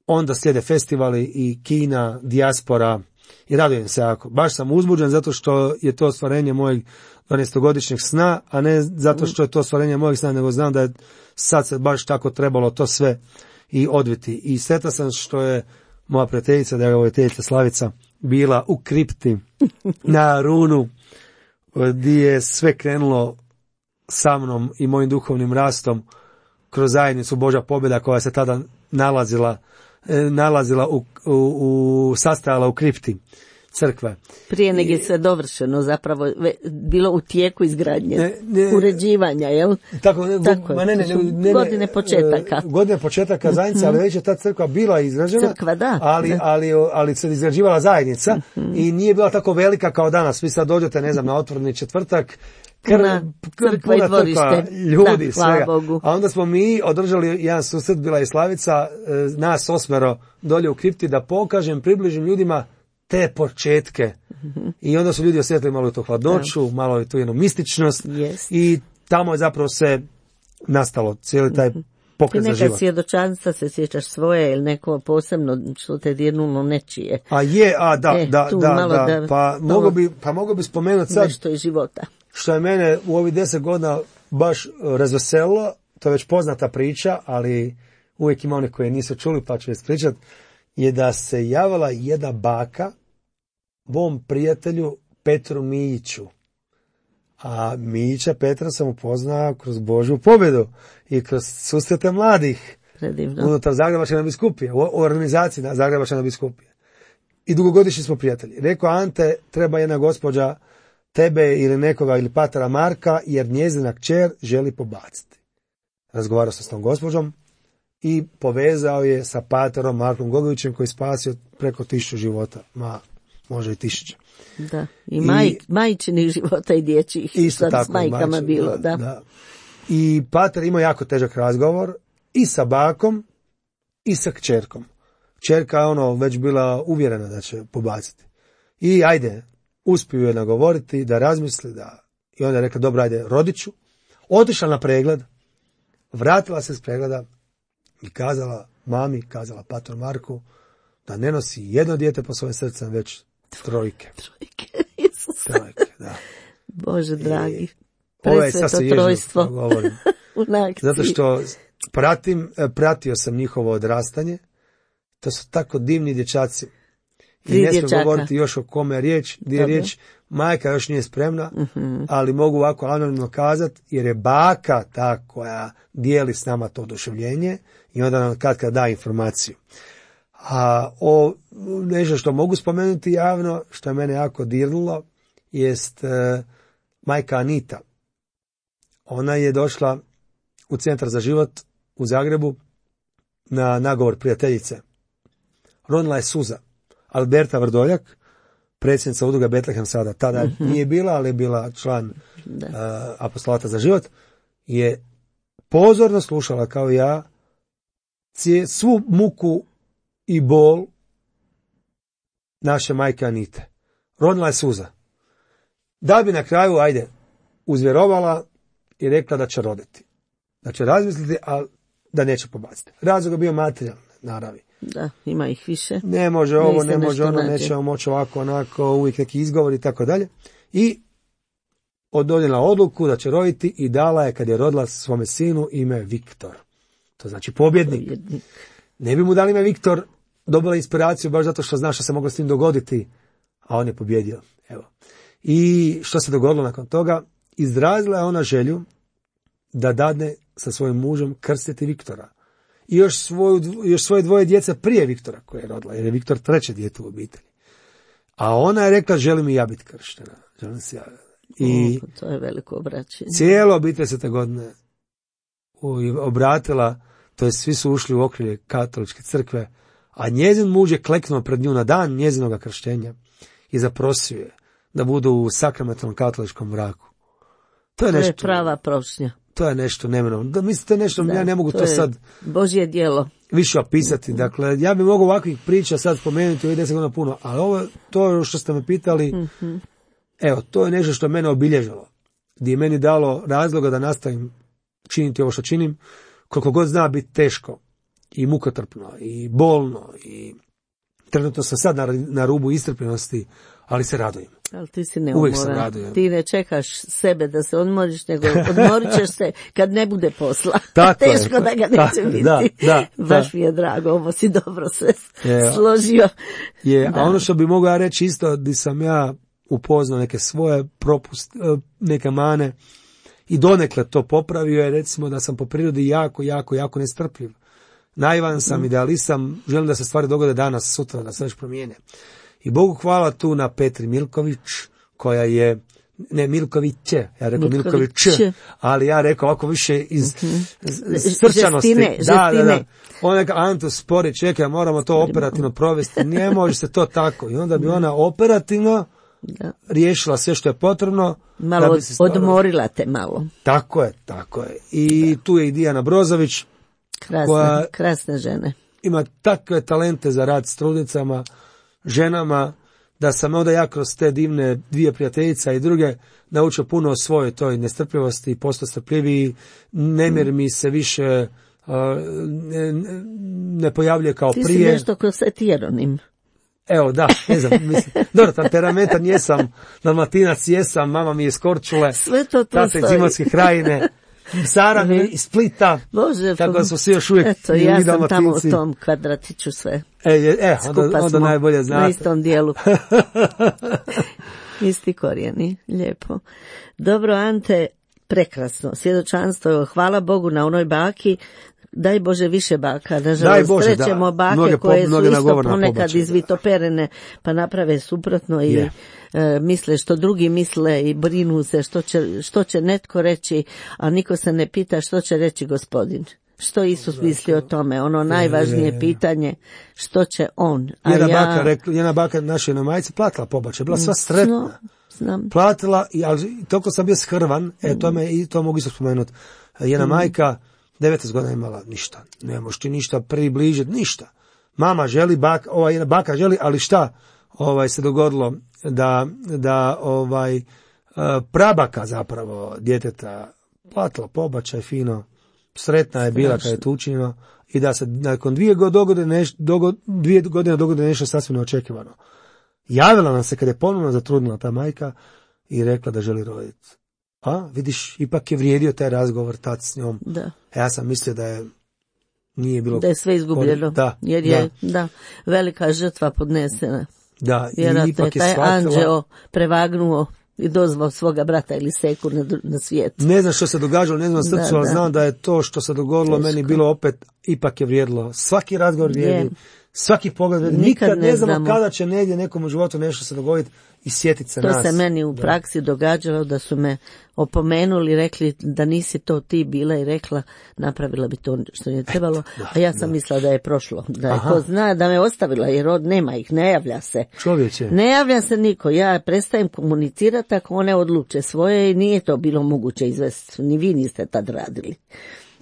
onda slijede festivali i kina, dijaspora i radujem se jako. Baš sam uzbuđen zato što je to ostvarenje mojeg dvanaestogodišnjeg sna, a ne zato što je to ostvarenje mojeg sna, nego znam da je sad se baš tako trebalo to sve i odviti. I sretan sam što je moja prijateljica, da je vojiteljica Slavica, bila u kripti na runu gdje je sve krenulo sa mnom i mojim duhovnim rastom kroz zajednicu Božja pobjeda koja se tada nalazila, nalazila u, u, u sastajala u kripti crkve. Prije nego je sve dovršeno, zapravo bilo u tijeku izgradnje, ne, ne, uređivanja, jel? Tako, ne, tako ma ne, ne, ne, ne, godine početaka. Godine početaka zajednice, ali već je ta crkva bila izrađena, crkva, da, ali, da. ali, ali se izrađivala zajednica mm-hmm. i nije bila tako velika kao danas. Vi sad dođete, ne znam, na otvoreni četvrtak, Kr, crkva i dvorište, ljudi, da, svega. Bogu. A onda smo mi održali jedan susret, bila je Slavica, nas osmero dolje u kripti, da pokažem, približim ljudima te početke. Mm-hmm. I onda su ljudi osjetili malo tu hladnoću, da. Malo tu jednu mističnost yes. i tamo je zapravo se nastalo cijeli taj pokret za život. I neka svjedočanstva se sjećaš svoje ili neko posebno što te dirnulo nečije. A je, a da, e, da, da, da, da, pa mogu bi, pa mogu bi spomenuti sad nešto iz života. Što je mene u ovih deset godina baš razveselilo, to je već poznata priča, ali uvijek ima one koje nisu čuli pa ću ispričati, je da se javila jedna baka mom prijatelju Petru Mijiću. A Mijića Petra sam upoznao kroz Božju pobjedu i kroz susrete mladih. Predivno. Unutar Zagrebačke biskupije, u organizaciji Zagrebačke biskupije. I dugogodišnji smo prijatelji. Rekao, Ante, treba jedna gospođa tebe ili nekoga ili patera Marka, jer njezina kćer želi pobaciti. Razgovarao sam s tom gospođom i povezao je sa paterom Markom Gogovićem koji spasio preko tisuću života, ma može i tisuće. Da, i, maj, I majčinih života i dječjih, isto tako, s majkama majčin, bilo, da, da. da. I pater imao jako težak razgovor i sa bakom i sa kćerkom. Kćerka je ono već bila uvjerena da će pobaciti. I ajde, uspiju je nagovoriti da razmisli, da i onda je rekla, dobro, ajde, rodiću. Otišla na pregled, vratila se s pregleda i kazala mami, kazala pator Marku, da ne nosi jedno dijete po svojim srcem, već trojke. Trojke, Isus. Trojke, da. Bože dragi, presveto trojstvo. Zato što pratim, pratio sam njihovo odrastanje, to su tako divni dječaci. I ne smijem govoriti još o kome je riječ, gdje je riječ, majka još nije spremna, uh-huh. ali mogu ovako anonimno kazati, jer je baka ta koja dijeli s nama to oduševljenje i onda nam kad kad da informaciju. A o nešto što mogu spomenuti javno, što je mene jako dirnulo, jest uh, majka Anita. Ona je došla u Centar za život u Zagrebu na nagovor prijateljice. Ronila je suza. Alberta Vrdoljak, predsjednica udruga Betlehem sada, tada mm-hmm. nije bila, ali je bila član uh, apostolata za život, je pozorno slušala kao ja cije, svu muku i bol naše majke Anite. Ronila je suza. Da bi na kraju, ajde, uzvjerovala i rekla da će roditi. Da će razmisliti, a da neće pobaciti. Razlog je bio materijalne naravi. Da, ima ih više. Ne može ovo, ne može ono, nećemo moći ovako, onako, uvijek neki izgovor i tako dalje. I donijela odluku da će roditi i dala je, kad je rodila svome sinu, ime Viktor. To znači pobjednik. pobjednik. Ne bi mu dali ime Viktor, dobila inspiraciju baš zato što zna što se moglo s tim dogoditi, a on je pobjedio. Evo. I što se dogodilo nakon toga? Izrazila je ona želju da dadne sa svojim mužem krstiti Viktora. I još, svoju, još svoje dvoje djece prije Viktora koje je rodila, jer je Viktor treće dijete u obitelji. A ona je rekla, želim i ja biti krštena. Želim se ja. I o, to je veliko obraćenje. Cijelo obitelj se te godine obratila, to je svi su ušli u okrilje katoličke crkve, a njezin muž je kleknuo pred nju na dan njezinoga krštenja i zaprosio je da budu u sakramentalnom katoličkom braku. To je, to nešto, je prava prošnja. to je nešto neminovno. Da, mislim, to je nešto, da, ja ne mogu to, to sad Božje djelo više opisati. Dakle, ja bih mogao ovakvih priča sad spomenuti ovih deset godina puno, ali ovo, to što ste me pitali, mm-hmm. evo, to je nešto što je mene obilježilo, gdje je meni dalo razloga da nastavim činiti ovo što činim, koliko god zna biti teško i mukotrpno i bolno i trenutno sam sad na, na rubu istrpljenosti, ali se radujem. Ali ti si neumoran. Ti ne čekaš sebe da se odmoriš, nego odmorit ćeš se kad ne bude posla. Teško je, da ga neće tako, biti. Da, da, baš da. Mi je drago, ovo si dobro sve je, složio. Je, a ono što bi mogao reći isto, di sam ja upoznao neke svoje propust, neke mane i donekle to popravio je, recimo da sam po prirodi jako, jako, jako nestrpljiv. Naivan sam, mm. idealist sam, želim da se stvari dogode danas, sutra, da se već promijene. I Bogu hvala tu na Petri Milković, koja je, ne Milković, ja rekao Milković, ali ja rekao ovako više iz mm-hmm. srčanosti. Žestine, da, da, da. Ona neka Anto spori, čekaj, moramo to operativno provesti, ne može se to tako. I onda bi ona operativno da. riješila sve što je potrebno. Malo da bi se stvarno odmorila te malo. Tako je, tako je. I da. tu je i Dijana Brozović, krasne, koja krasne žene. Ima takve talente za rad s trudnicama, ženama, da sam onda ja kroz te divne dvije prijateljica i druge naučio puno o svojoj toj nestrpljivosti i postao strpljiviji, nemir mi se više uh, ne, ne pojavljuje kao Ti prije. Ti si nešto kroz etironim. Evo, da, ne znam, mislim, dobro, temperamentan jesam, dalmatinac jesam, mama mi je iz Korčule, sve to tu tata iz Imotske krajine, Sara mi iz Splita, Bože, tako da su svi još uvijek eto, ja sam tamo u tom kvadratiću sve. E, e onda, onda najbolje znate. Na istom dijelu. Isti korijeni, lijepo. Dobro, Ante, prekrasno, svjedočanstvo, hvala Bogu na onoj baki. Daj Bože više baka, nažalost srećemo bake mnoge, koje su isto ponekad izvitoperene, pa naprave suprotno i yeah. e, misle što drugi misle i brinu se što će, što će netko reći, a niko se ne pita što će reći Gospodin. Što Isus misli o tome, ono najvažnije pitanje, što će on. A jedna, ja... baka, rekla, jedna baka naše na majici platila pobačaj, bila sva sretna. Znam. Platila, ali toliko sam bio shrvan, e, to, me, i to mogu isto spomenuti. Jedna mm. majka, devetnaest godina imala ništa, ne možeš ti ništa približiti, ništa. Mama želi, baka, ovaj, baka želi, ali šta ovaj, se dogodilo da, da ovaj, prabaka zapravo djeteta platila pobačaj fino, sretna je bila kad je to učinjeno i da se nakon dvije godine, neš, dogod, dvije godine dogode nešto sasvim neočekivano. Javila nam se kad je ponovno zatrudnila ta majka i rekla da želi roditi. A, vidiš, ipak je vrijedio taj razgovor tad s njom. Da. Ja sam mislio da je nije bilo... Da je sve izgubljeno. Da, jer je, da. da, velika žrtva podnesena. Da, vjerojatno i ipak je taj shvatila... anđeo prevagnuo i dozvao svoga brata ili seku na, na svijet. Ne znam što se događalo, ne znam na srcu, da, ali da. znam da je to što se dogodilo Teško. meni bilo opet, ipak je vrijedilo. Svaki razgovor vrijedi, svaki pogled vrijedi. Nikad, Nikad ne, ne znamo kada će negdje nekom u životu nešto se dogoditi i sjetiti se to nas. To se meni u praksi da. događalo da su me opomenuli, rekli da nisi to ti bila i rekla napravila bi to što je trebalo, Et, da, a ja sam da. mislila da je prošlo, da je ko zna da me ostavila jer od nema ih, ne javlja se. Čovječe. Ne javlja se niko, ja prestajem komunicirati ako one odluče svoje i nije to bilo moguće izvesti, ni vi niste tad radili.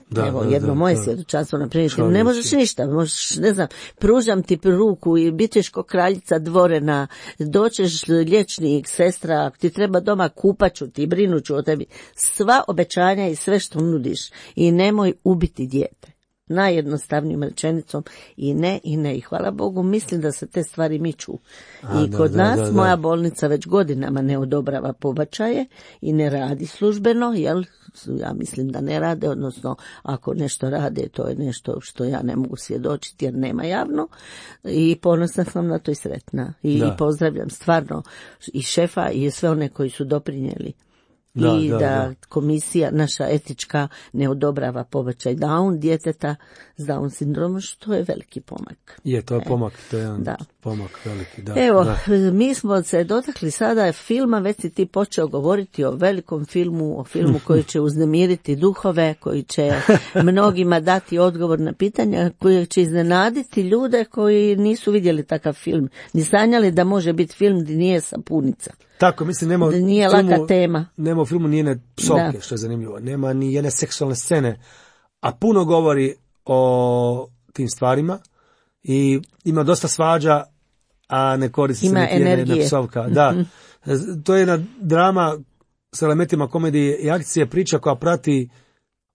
Da, Evo, jedno da, moje svjedočanstvo na primjer, ne možeš ništa, možeš, ne znam, pružam ti ruku i bit ćeš ko kraljica dvorena, doćeš liječnik, sestra, ako ti treba doma kupaću ti, brinuću o tebi, sva obećanja i sve što nudiš i nemoj ubiti dijete. Najjednostavnijom rečenicom i ne i ne i hvala Bogu mislim da se te stvari miču. A, I da, kod da, nas da, da. moja bolnica već godinama ne odobrava pobačaje i ne radi službeno, jel ja mislim da ne rade, odnosno ako nešto rade to je nešto što ja ne mogu svjedočiti jer nema javno i ponosna sam na to i sretna i, i pozdravljam stvarno i šefa i sve one koji su doprinijeli. Da, I da, da, da komisija naša etička ne odobrava pobačaj Down djeteta s Down sindromom, što je veliki pomak. Je, to je pomak. To je jedan... Da. pomak veliki, da. Evo, da. mi smo se dotakli sada filma, već si ti počeo govoriti o velikom filmu, o filmu koji će uznemiriti duhove, koji će mnogima dati odgovor na pitanja, koji će iznenaditi ljude koji nisu vidjeli takav film, ni sanjali da može biti film gdje nije sapunica. Tako, mislim, nema da nije filmu, laka tema. Nema u filmu ni jedne psovke, da. Što je zanimljivo. Nema ni jedne seksualne scene, a puno govori o tim stvarima i ima dosta svađa, a ne koristi se niti jedna, jedna psovka. Da. Mm-hmm. To je jedna drama s elementima komedije i akcije, priča koja prati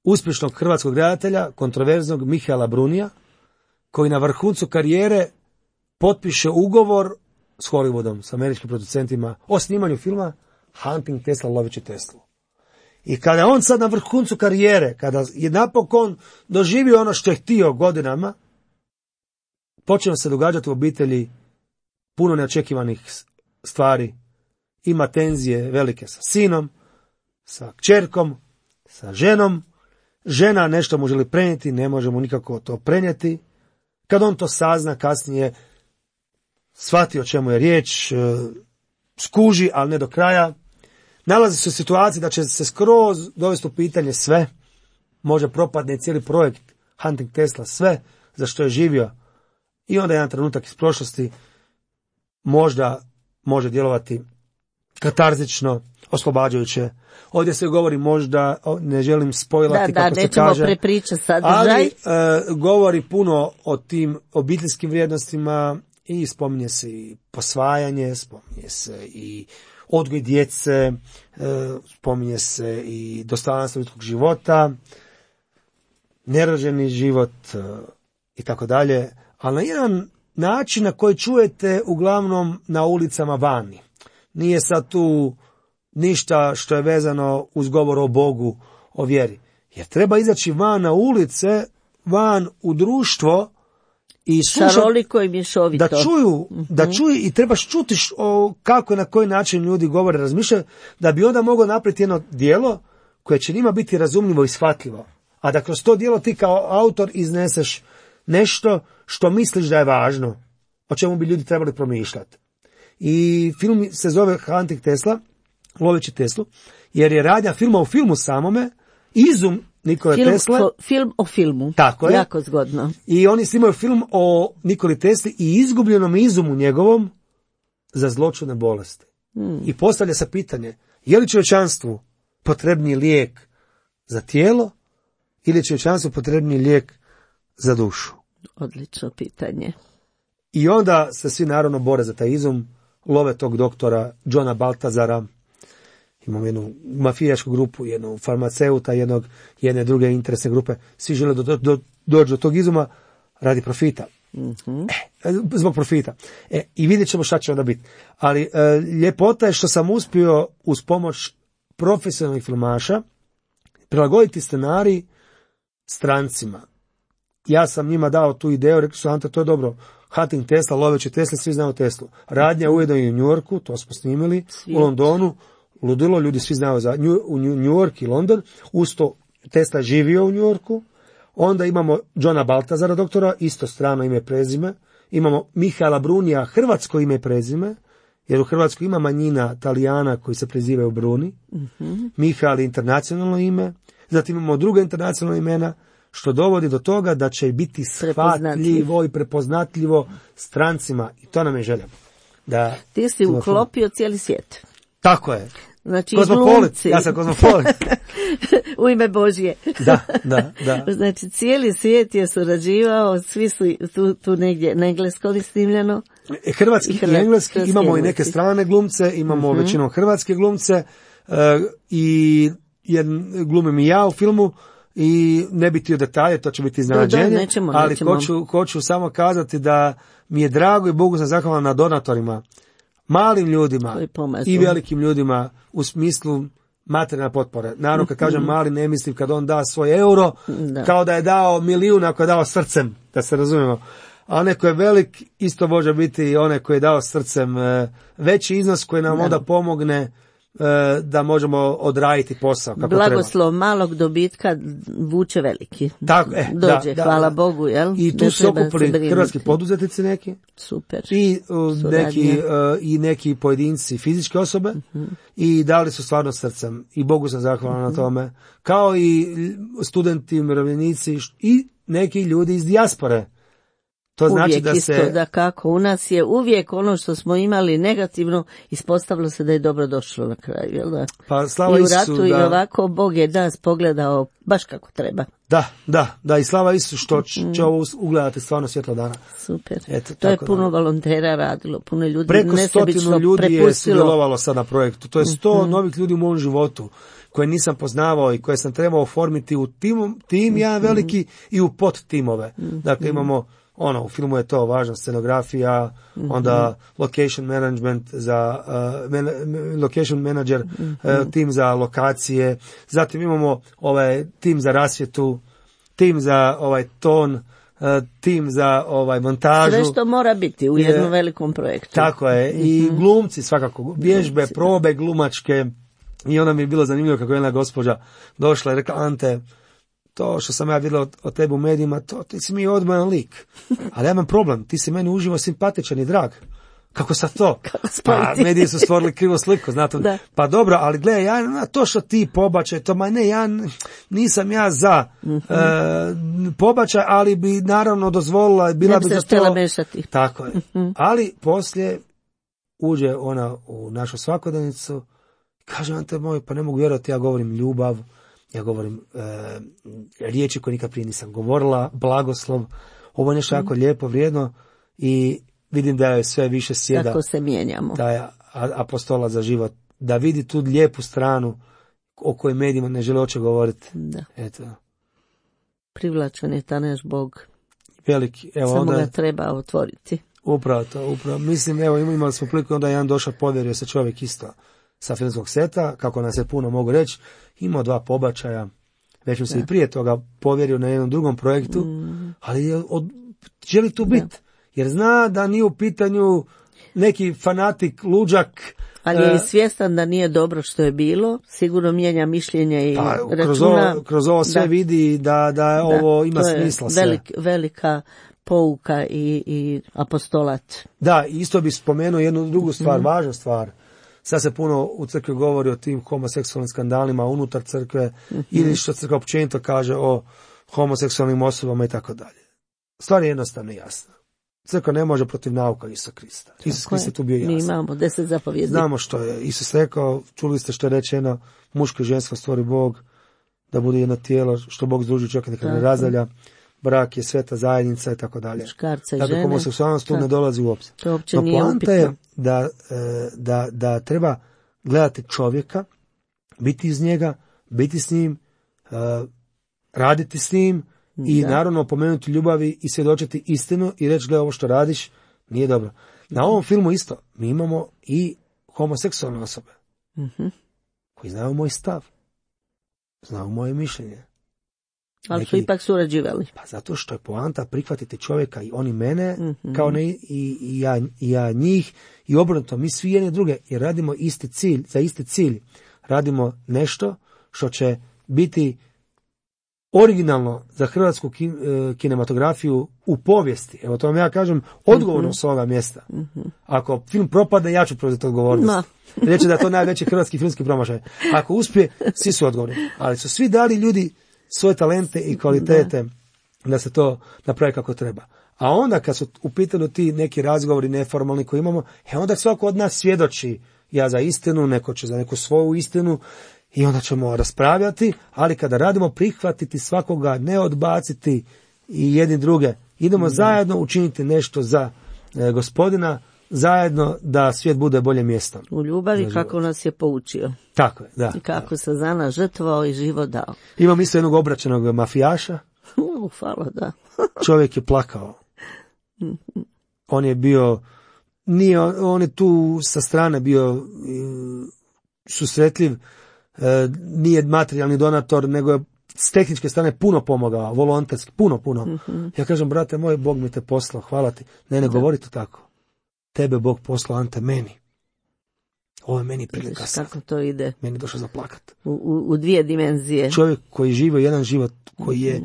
uspješnog hrvatskog redatelja, kontroverznog Mihaela Brunija, koji na vrhuncu karijere potpiše ugovor s Hollywoodom, s američkim producentima, o snimanju filma Hunting Tesla, loveći Teslu. I kada je on sad na vrhuncu karijere, kada je napokon doživio ono što je htio godinama, počeo se događati u obitelji puno neočekivanih stvari. Ima tenzije velike sa sinom, sa kćerkom, sa ženom. Žena nešto mu želi prenijeti, ne može mu nikako to prenijeti. Kad on to sazna, kasnije shvati o čemu je riječ, skuži, ali ne do kraja. Nalazi se u situaciji da će se skroz dovesti u pitanje sve. Može propadne cijeli projekt Hunting Tesla, sve za što je živio. I onda jedan trenutak iz prošlosti možda može djelovati katarzično, oslobađajuće. Ovdje se govori možda, ne želim spojlati da, kako da, se kaže. Da, nećemo prepričati sadržaj. Ali e, govori puno o tim obiteljskim vrijednostima i spominje se i posvajanje, spominje se i odgoj djece, e, spominje se i dostojanstvo ljudskog života, nerođeni život e, i tako dalje, ali na jedan način na koji čujete uglavnom na ulicama vani. Nije sad tu ništa što je vezano uz govor o Bogu, o vjeri. Jer treba izaći van na ulice, van u društvo i šaroliko i mješovito. Da čuju, mm-hmm. da čuju i trebaš čuti o kako i na koji način ljudi govore, razmišljaju, da bi onda mogao napraviti jedno djelo koje će njima biti razumljivo i shvatljivo. A da kroz to djelo ti kao autor izneseš nešto što misliš da je važno, o čemu bi ljudi trebali promišljati. I film se zove Hunting Tesla, loveći Teslu, jer je radnja filma u filmu samome, izum Nikole film, Tesle. Fo, film o filmu. Tako je. Jako zgodno. I oni snimaju film o Nikoli Tesli i izgubljenom izumu njegovom za zloćudne bolesti. Hmm. I postavlja se pitanje, je li čovječanstvu potrebniji lijek za tijelo ili je čovječanstvu potrebniji lijek za dušu? Odlično pitanje. I onda se svi naravno bore za taj izum, love tog doktora Johna Baltazara, imamo jednu mafijašku grupu, jednu farmaceuta, jednog, jedne druge interesne grupe, svi žele do, do, do, doći do tog izuma radi profita. Mm-hmm. E, zbog profita. E, I vidjet ćemo šta će onda biti. Ali e, ljepota je što sam uspio uz pomoć profesionalnih filmaša prilagoditi scenarij strancima. Ja sam njima dao tu ideju, rekli su, Ante, to je dobro. Hunting Tesla, loveći Tesla, svi znaju Teslu. Radnja ujedno i u New Yorku, to smo snimili, Svijet. U Londonu, ludilo, ljudi svi znaju za New, u New York i London, usto Tesla živio u New Yorku, onda imamo Johna Baltazara, doktora, isto strano ime i prezime, imamo Mihaela Brunija, hrvatsko ime i prezime, jer u Hrvatskoj ima manjina Talijana koji se prezivaju Bruni, mm-hmm. Mihael je internacionalno ime, zatim imamo druga internacionalna imena, što dovodi do toga da će biti shvatljivo i prepoznatljivo strancima. I to nam je želja. Da ti si uklopio cijeli svijet. Tako je. Znači, kozmopolit. Ja sam kozmopolit. U ime Božje. Da, da, da. Znači, cijeli svijet je surađivao, svi su tu, tu negdje na engleskom snimljeno. Hrvatski i, hrvatski, i engleski, imamo engleski. I neke strane glumce, imamo uh-huh. većinom hrvatske glumce uh, i jedan, glumim i ja u filmu. I ne bi htio detalje, to će biti iznenađenje, nećemo, ali nećemo. Hoću, hoću samo kazati da mi je drago i Bogu sam zahvalan na donatorima, malim ljudima i velikim ljudima u smislu materijalne potpore. Naravno, kad kažem mali, ne mislim kad on da svoj euro, da. Kao da je dao milijun ako je dao srcem, da se razumijemo. A onaj koji je velik, isto može biti i onaj koji je dao srcem veći iznos koji nam da. Onda pomogne da možemo odraditi posao kako treba. Blagoslov malog dobitka vuče veliki. Tako, e, Dođe, da, hvala da. Bogu, jel? I tu ne su okupili se hrvatski poduzetnici neki. Super. I uh, neki, uh, i neki pojedinci fizičke osobe uh-huh. i dali su stvarno srcem i Bogu sam zahvalan uh-huh. na tome. Kao i studenti, umirovljenici i neki ljudi iz dijaspore. To uvijek znači da isto, se... da kako, u nas je uvijek ono što smo imali negativno, ispostavilo se da je dobro došlo na kraju, jel da? Pa slava I u Isusu, ratu da... i ovako Bog je nas pogledao baš kako treba. Da, da, da, i slava Isusu što će, će ovo ugledati stvarno svjetlo dana. Super, Eto, to je da. puno volontera radilo, puno ljudi preko stotinu ljudi prepustilo. je sudjelovalo sad na projektu, to je sto mm-hmm. novih ljudi u mom životu koje nisam poznavao i koje sam trebao oformiti u tim, tim mm-hmm. jedan veliki i u podtimove. Mm-hmm. Dakle, imamo ono, u filmu je to važna scenografija, mm-hmm. onda location management za uh, man, location manager, mm-hmm. uh, tim za lokacije, zatim imamo ovaj tim za rasvjetu, tim za ovaj ton, uh, tim za ovaj montažu. Sve što mora biti u jednom je, velikom projektu. Tako je, mm-hmm. i glumci svakako, vježbe, glumci, probe glumačke, i onda mi je bilo zanimljivo kako je jedna gospođa došla i rekla, Ante, to što sam ja vidjela od tebe u medijima, to ti si mi odmajan lik. Ali ja imam problem, ti si meni uživo simpatičan i drag. Kako sad to? Pa mediji su stvorili krivu sliku, znate. Da. Pa dobro, ali gledaj, ja, to što ti pobačaj, to ma ne, ja nisam ja za mm-hmm. e, pobačaj, ali bi naravno dozvolila, bila bi za to. Mešati. Tako je. Mm-hmm. Ali poslije uđe ona u našu svakodnevnicu, kaže, Ante moj, pa ne mogu vjerovati, ja govorim ljubav, ja govorim e, riječi koje nikad prije nisam govorila, blagoslov, ovo je nešto jako mm. lijepo, vrijedno i vidim da je sve više sjeda. Tako se mijenjamo. Da je apostola za život, da vidi tu lijepu stranu o kojoj medijima ne žele oče govoriti. Da. Eto. Privlačan je ta naš Bog. Veliki. Evo, samo onda, ga treba otvoriti. Upravo to, upravo. Mislim, evo imali smo priliku, onda jedan došao, povjerio se čovjek isto sa filmskog seta, kako nas se puno mogu reći, imao dva pobačaja, već mu se i prije toga povjerio na jednom drugom projektu, mm. ali je od, želi tu biti, jer zna da nije u pitanju neki fanatik, luđak. Ali je i svjestan da nije dobro što je bilo, sigurno mijenja mišljenje i pa, računa. Kroz ovo, kroz ovo sve da. vidi da, da, da ovo ima smisla. To je velik, velika pouka i, i apostolat. Da, isto bi spomenuo jednu drugu stvar, mm. važnu stvar. Sad se puno u crkvi govori o tim homoseksualnim skandalima unutar crkve mm-hmm. ili što crkva općenito kaže o homoseksualnim osobama i tako dalje. Stvar je jednostavno jasna. Crkva ne može protiv nauka Isusa Krista. Isus Krist je tu bio jasan. Mi imamo deset zapovjedi. Znamo što je Isus rekao, čuli ste što je rečeno, muško i žensko stvori Bog, da bude jedno tijelo, što Bog združi čovjeka nekada ne razdalja, brak je sveta zajednica i tako dalje. Muškarca i dakle, žene. Homoseksualnost tu ne dolazi u obzir. To uopće no, nije poanta je da, da, da treba gledati čovjeka, biti iz njega, biti s njim, raditi s njim i da. naravno opomenuti ljubavi i svjedočiti istinu i reći, gle, ovo što radiš nije dobro. Na ovom filmu isto, mi imamo i homoseksualne osobe mm-hmm. koji znaju moj stav, znaju moje mišljenje. Ali Neki, su ipak surađivali. Pa zato što je poanta prihvatiti čovjeka i oni mene, mm-hmm. kao ne i, i, ja, i ja njih, i obrnuto, mi svi jedni druge, jer radimo isti cilj, za isti cilj. Radimo nešto što će biti originalno za hrvatsku kin, kinematografiju u povijesti. Evo to vam ja kažem odgovorno mm-hmm. s ovoga mjesta. Mm-hmm. Ako film propadne, ja ću preuzeti odgovornost. No. Reći da je to najveći hrvatski filmski promašaj. Ako uspije, svi su odgovorni. Ali su svi dali ljudi svoje talente i kvalitete da, da se to napravi kako treba. A onda kad su u pitanju ti neki razgovori neformalni koji imamo, e onda svako od nas svjedoči, ja za istinu, neko će za neku svoju istinu i onda ćemo raspravljati, ali kada radimo prihvatiti svakoga, ne odbaciti i jedni druge, idemo da. zajedno učiniti nešto za e, Gospodina, zajedno da svijet bude bolje mjesto. U ljubavi kako nas je poučio. Tako je, da. I kako da. se za nas žrtvovao i život dao. Imam isto jednog obraćenog mafijaša. Uh, hvala, da. Čovjek je plakao. On je bio, nije, on je tu sa strane bio susretljiv, nije materijalni donator, nego je s tehničke strane puno pomogao, volonterski, puno, puno. Mm-hmm. Ja kažem, brate moj, Bog mi te poslao, hvala ti. Ne, ne, govori to tako. Tebe Bog poslao, Ante, meni. Ovo je meni prilika sad. Kako to ide? Meni je došao za plakat. U, u, u dvije dimenzije. Čovjek koji živi jedan život koji je,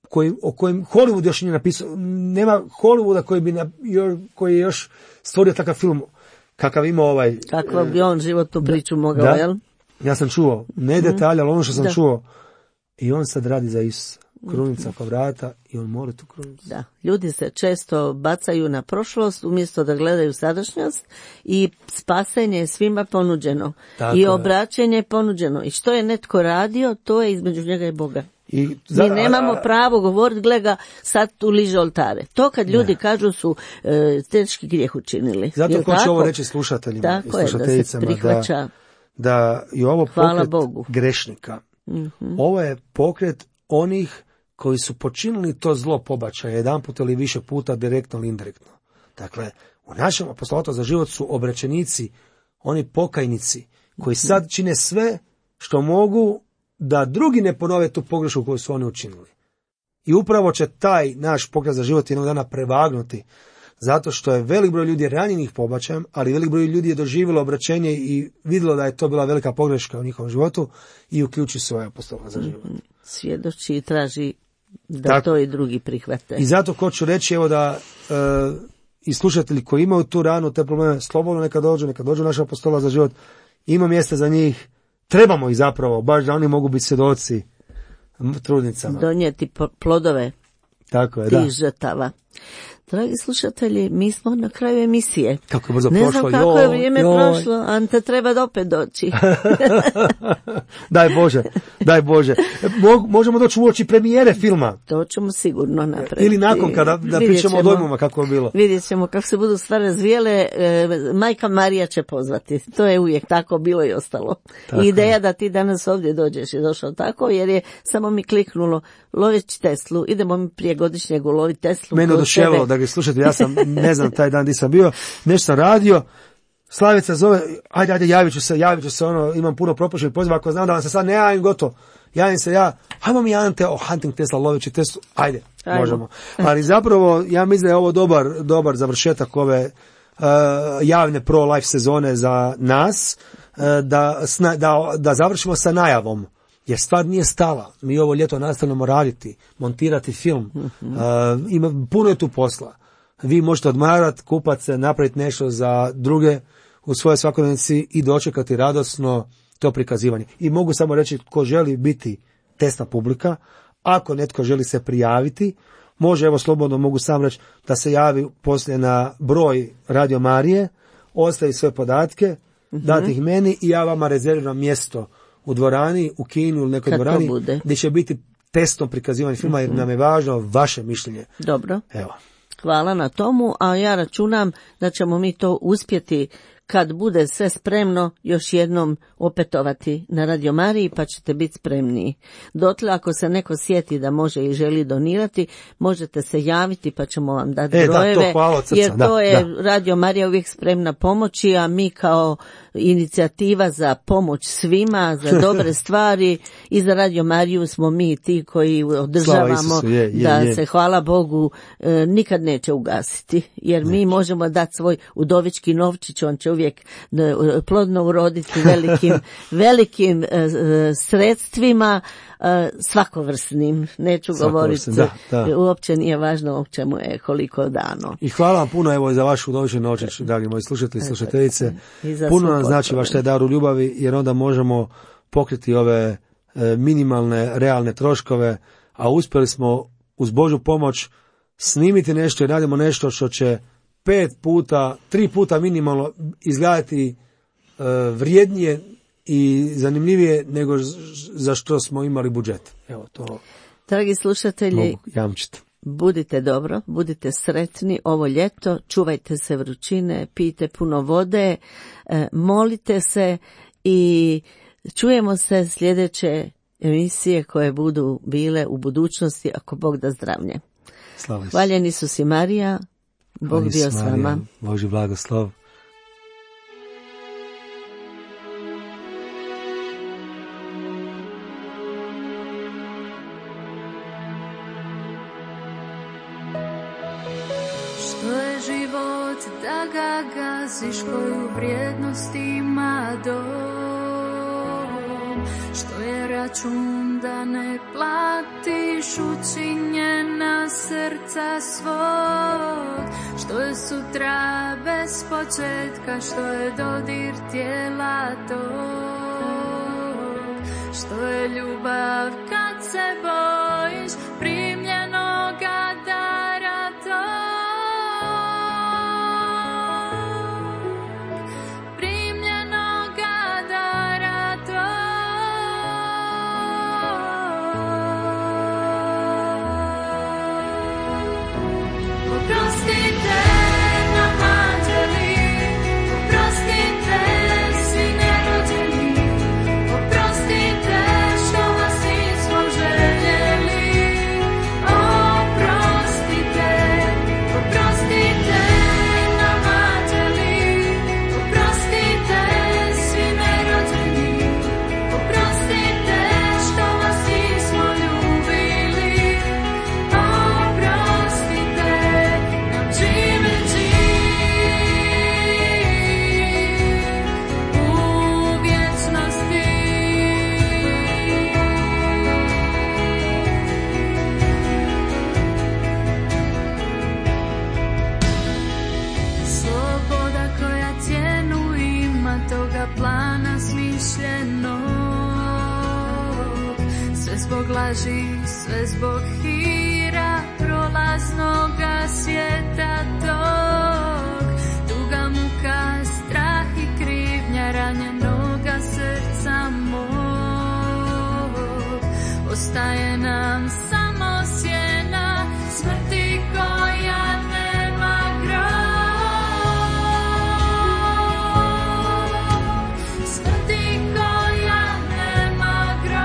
koji, o kojem Hollywood još nije napisao, nema Hollywooda koji bi na, koji je još stvorio takav film kakav ima ovaj. Kakav bi on životnu priču mogao, da, jel? Ja sam čuo, ne detalje, ali ono što sam da. čuo. I on sad radi za Isusa. Krunica oko vrata i on mora tu krunicu. Da, ljudi se često bacaju na prošlost umjesto da gledaju sadašnjost i spasenje je svima ponuđeno. Tako i obraćenje je ponuđeno. I što je netko radio, to je između njega i Boga. I za, Mi nemamo a, a, pravo govoriti, gle ga, sad tu liže oltare. To kad ljudi ne. kažu su e, teški grijeh učinili. Zato ko će ovo reći slušateljima tako i slušateljicama, je, da, se prihvaća, da, da je ovo pokret Bogu. grešnika. Mm-hmm. Ovo je pokret onih koji su počinili to zlo pobačaja jedan put ili više puta, direktno ili indirektno. Dakle, u našem apostolatu za život su obraćenici, oni pokajnici, koji sad čine sve što mogu da drugi ne ponove tu pogrešku koju su oni učinili. I upravo će taj naš pokret za život jednog dana prevagnuti, zato što je velik broj ljudi ranjenih pobačajem, ali velik broj ljudi je doživjelo obraćenje i vidjelo da je to bila velika pogreška u njihovom životu i uključi svoje apostolata za život. Svjedoči i traži da tako, to i drugi prihvate. I zato hoću reći, evo da e, i slušatelji koji imaju tu ranu, te probleme, slobodno neka dođu, neka dođu naša apostola za život, ima mjesta za njih, trebamo ih zapravo, baš da oni mogu biti svjedoci trudnicama. Donijeti plodove tako je, tih da. žrtava. Dragi slušatelji, mi smo na kraju emisije. Kako je brzo ne prošlo. Ne znam kako joj, je vrijeme joj. prošlo, Ante treba da opet doći. Daj Bože, daj Bože. Mo, možemo doći u oči premijere filma. To ćemo sigurno napraviti. Ili nakon kada da pričamo o dojmama kako je bilo. Vidjet ćemo kako se budu stvari razvijele. E, majka Marija će pozvati. To je uvijek tako bilo i ostalo. Tako. I ideja da ti danas ovdje dođeš je došao tako, jer je samo mi kliknulo loveći Teslu. Idemo mi prije godišnjeg uloviti Teslu. Mene oduševilo da ga slušate, ja sam, ne znam, taj dan di sam bio, nešto sam radio, Slavica zove, ajde, ajde, javit ću se, javit ću se, ono, imam puno propuštenih poziva, ako znam da vam se sad ne javim, gotovo, javim se ja, hajmo mi Ante o Hunting Tesla, loveći Teslu, ajde, ajmo. Možemo. Ali zapravo, ja mislim da je ovo dobar, dobar završetak ove uh, javne pro-life sezone za nas, uh, da, da, da završimo sa najavom. Jer stvar nije stala. Mi ovo ljeto nastavljamo raditi, montirati film. Mm-hmm. Uh, ima, puno je tu posla. Vi možete odmarati, kupati se, napraviti nešto za druge u svojoj svakodnevnici i dočekati radosno to prikazivanje. I mogu samo reći, ko želi biti testna publika, ako netko želi se prijaviti, može, evo slobodno mogu sam reći, da se javi poslije na broj Radio Marije, ostavi sve podatke, mm-hmm. dati ih meni i ja vama rezerviram mjesto u dvorani, u kinu ili nekoj kad dvorani, gdje će biti testno prikazivanje filma, jer nam je važno vaše mišljenje. Dobro. Evo. Hvala na tomu, a ja računam da ćemo mi to uspjeti kad bude sve spremno još jednom opetovati na Radio Mariji, pa ćete biti spremniji. Dotle, ako se neko sjeti da može i želi donirati, možete se javiti pa ćemo vam dati e, brojeve, da, to hvala od srca, jer to da, je da. Radio Marija uvijek spremna pomoći, a mi kao inicijativa za pomoć svima, za dobre stvari i za Radio Mariju smo mi ti koji održavamo je, je, da je. se, hvala Bogu, e, nikad neće ugasiti, jer mi možemo dati svoj udovički novčić, on će uvijek plodno uroditi velikim, velikim e, sredstvima, e, svakovrsnim, neću govoriti, da, da. uopće nije važno o čemu je koliko dano. I hvala vam puno evo za vašu udovični novčić, dragi moji slušatelji i slušateljice. Puno nam znači vaš taj dar u ljubavi, jer onda možemo pokriti ove e, minimalne, realne troškove, a uspjeli smo uz Božju pomoć snimiti nešto i radimo nešto što će pet puta, tri puta minimalno izgledati e, vrijednije i zanimljivije nego za što smo imali budžet. Evo to. Dragi slušatelji, mogu jamčiti. Budite dobro, budite sretni ovo ljeto, čuvajte se vrućine, pijte puno vode, e, molite se i čujemo se sljedeće emisije koje budu bile u budućnosti, ako Bog da zdravlje. Hvaljen Isus i Marija, Bog bio s vama. Božji blagoslov. Što je život život da ga gaziš, koju vrijednost ima dom, što je račun da ne platiš učinjena srca svog, što je sutra bez početka, što je dodir tijela tog, što je ljubav kad se bojiš primljenoga dara tog. Laži, sve zbog hira prolaznoga svijeta tog, tuga, muka, strah i krivnja ranjenoga srca mog. Ostaje nam samo sjena smrti koja nema grob, smrti koja nema grob.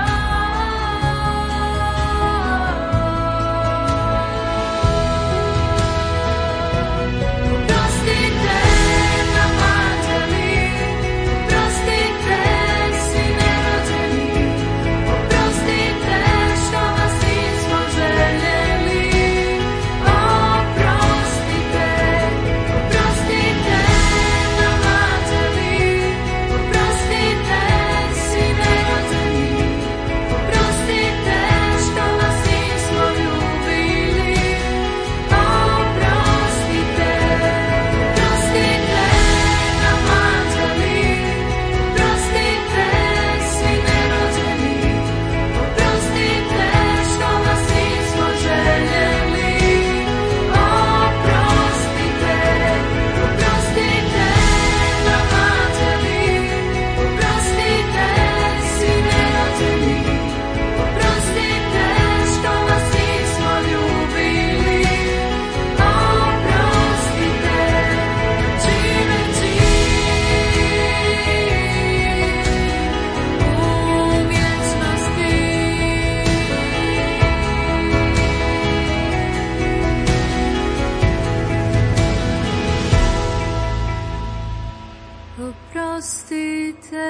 Oprostite.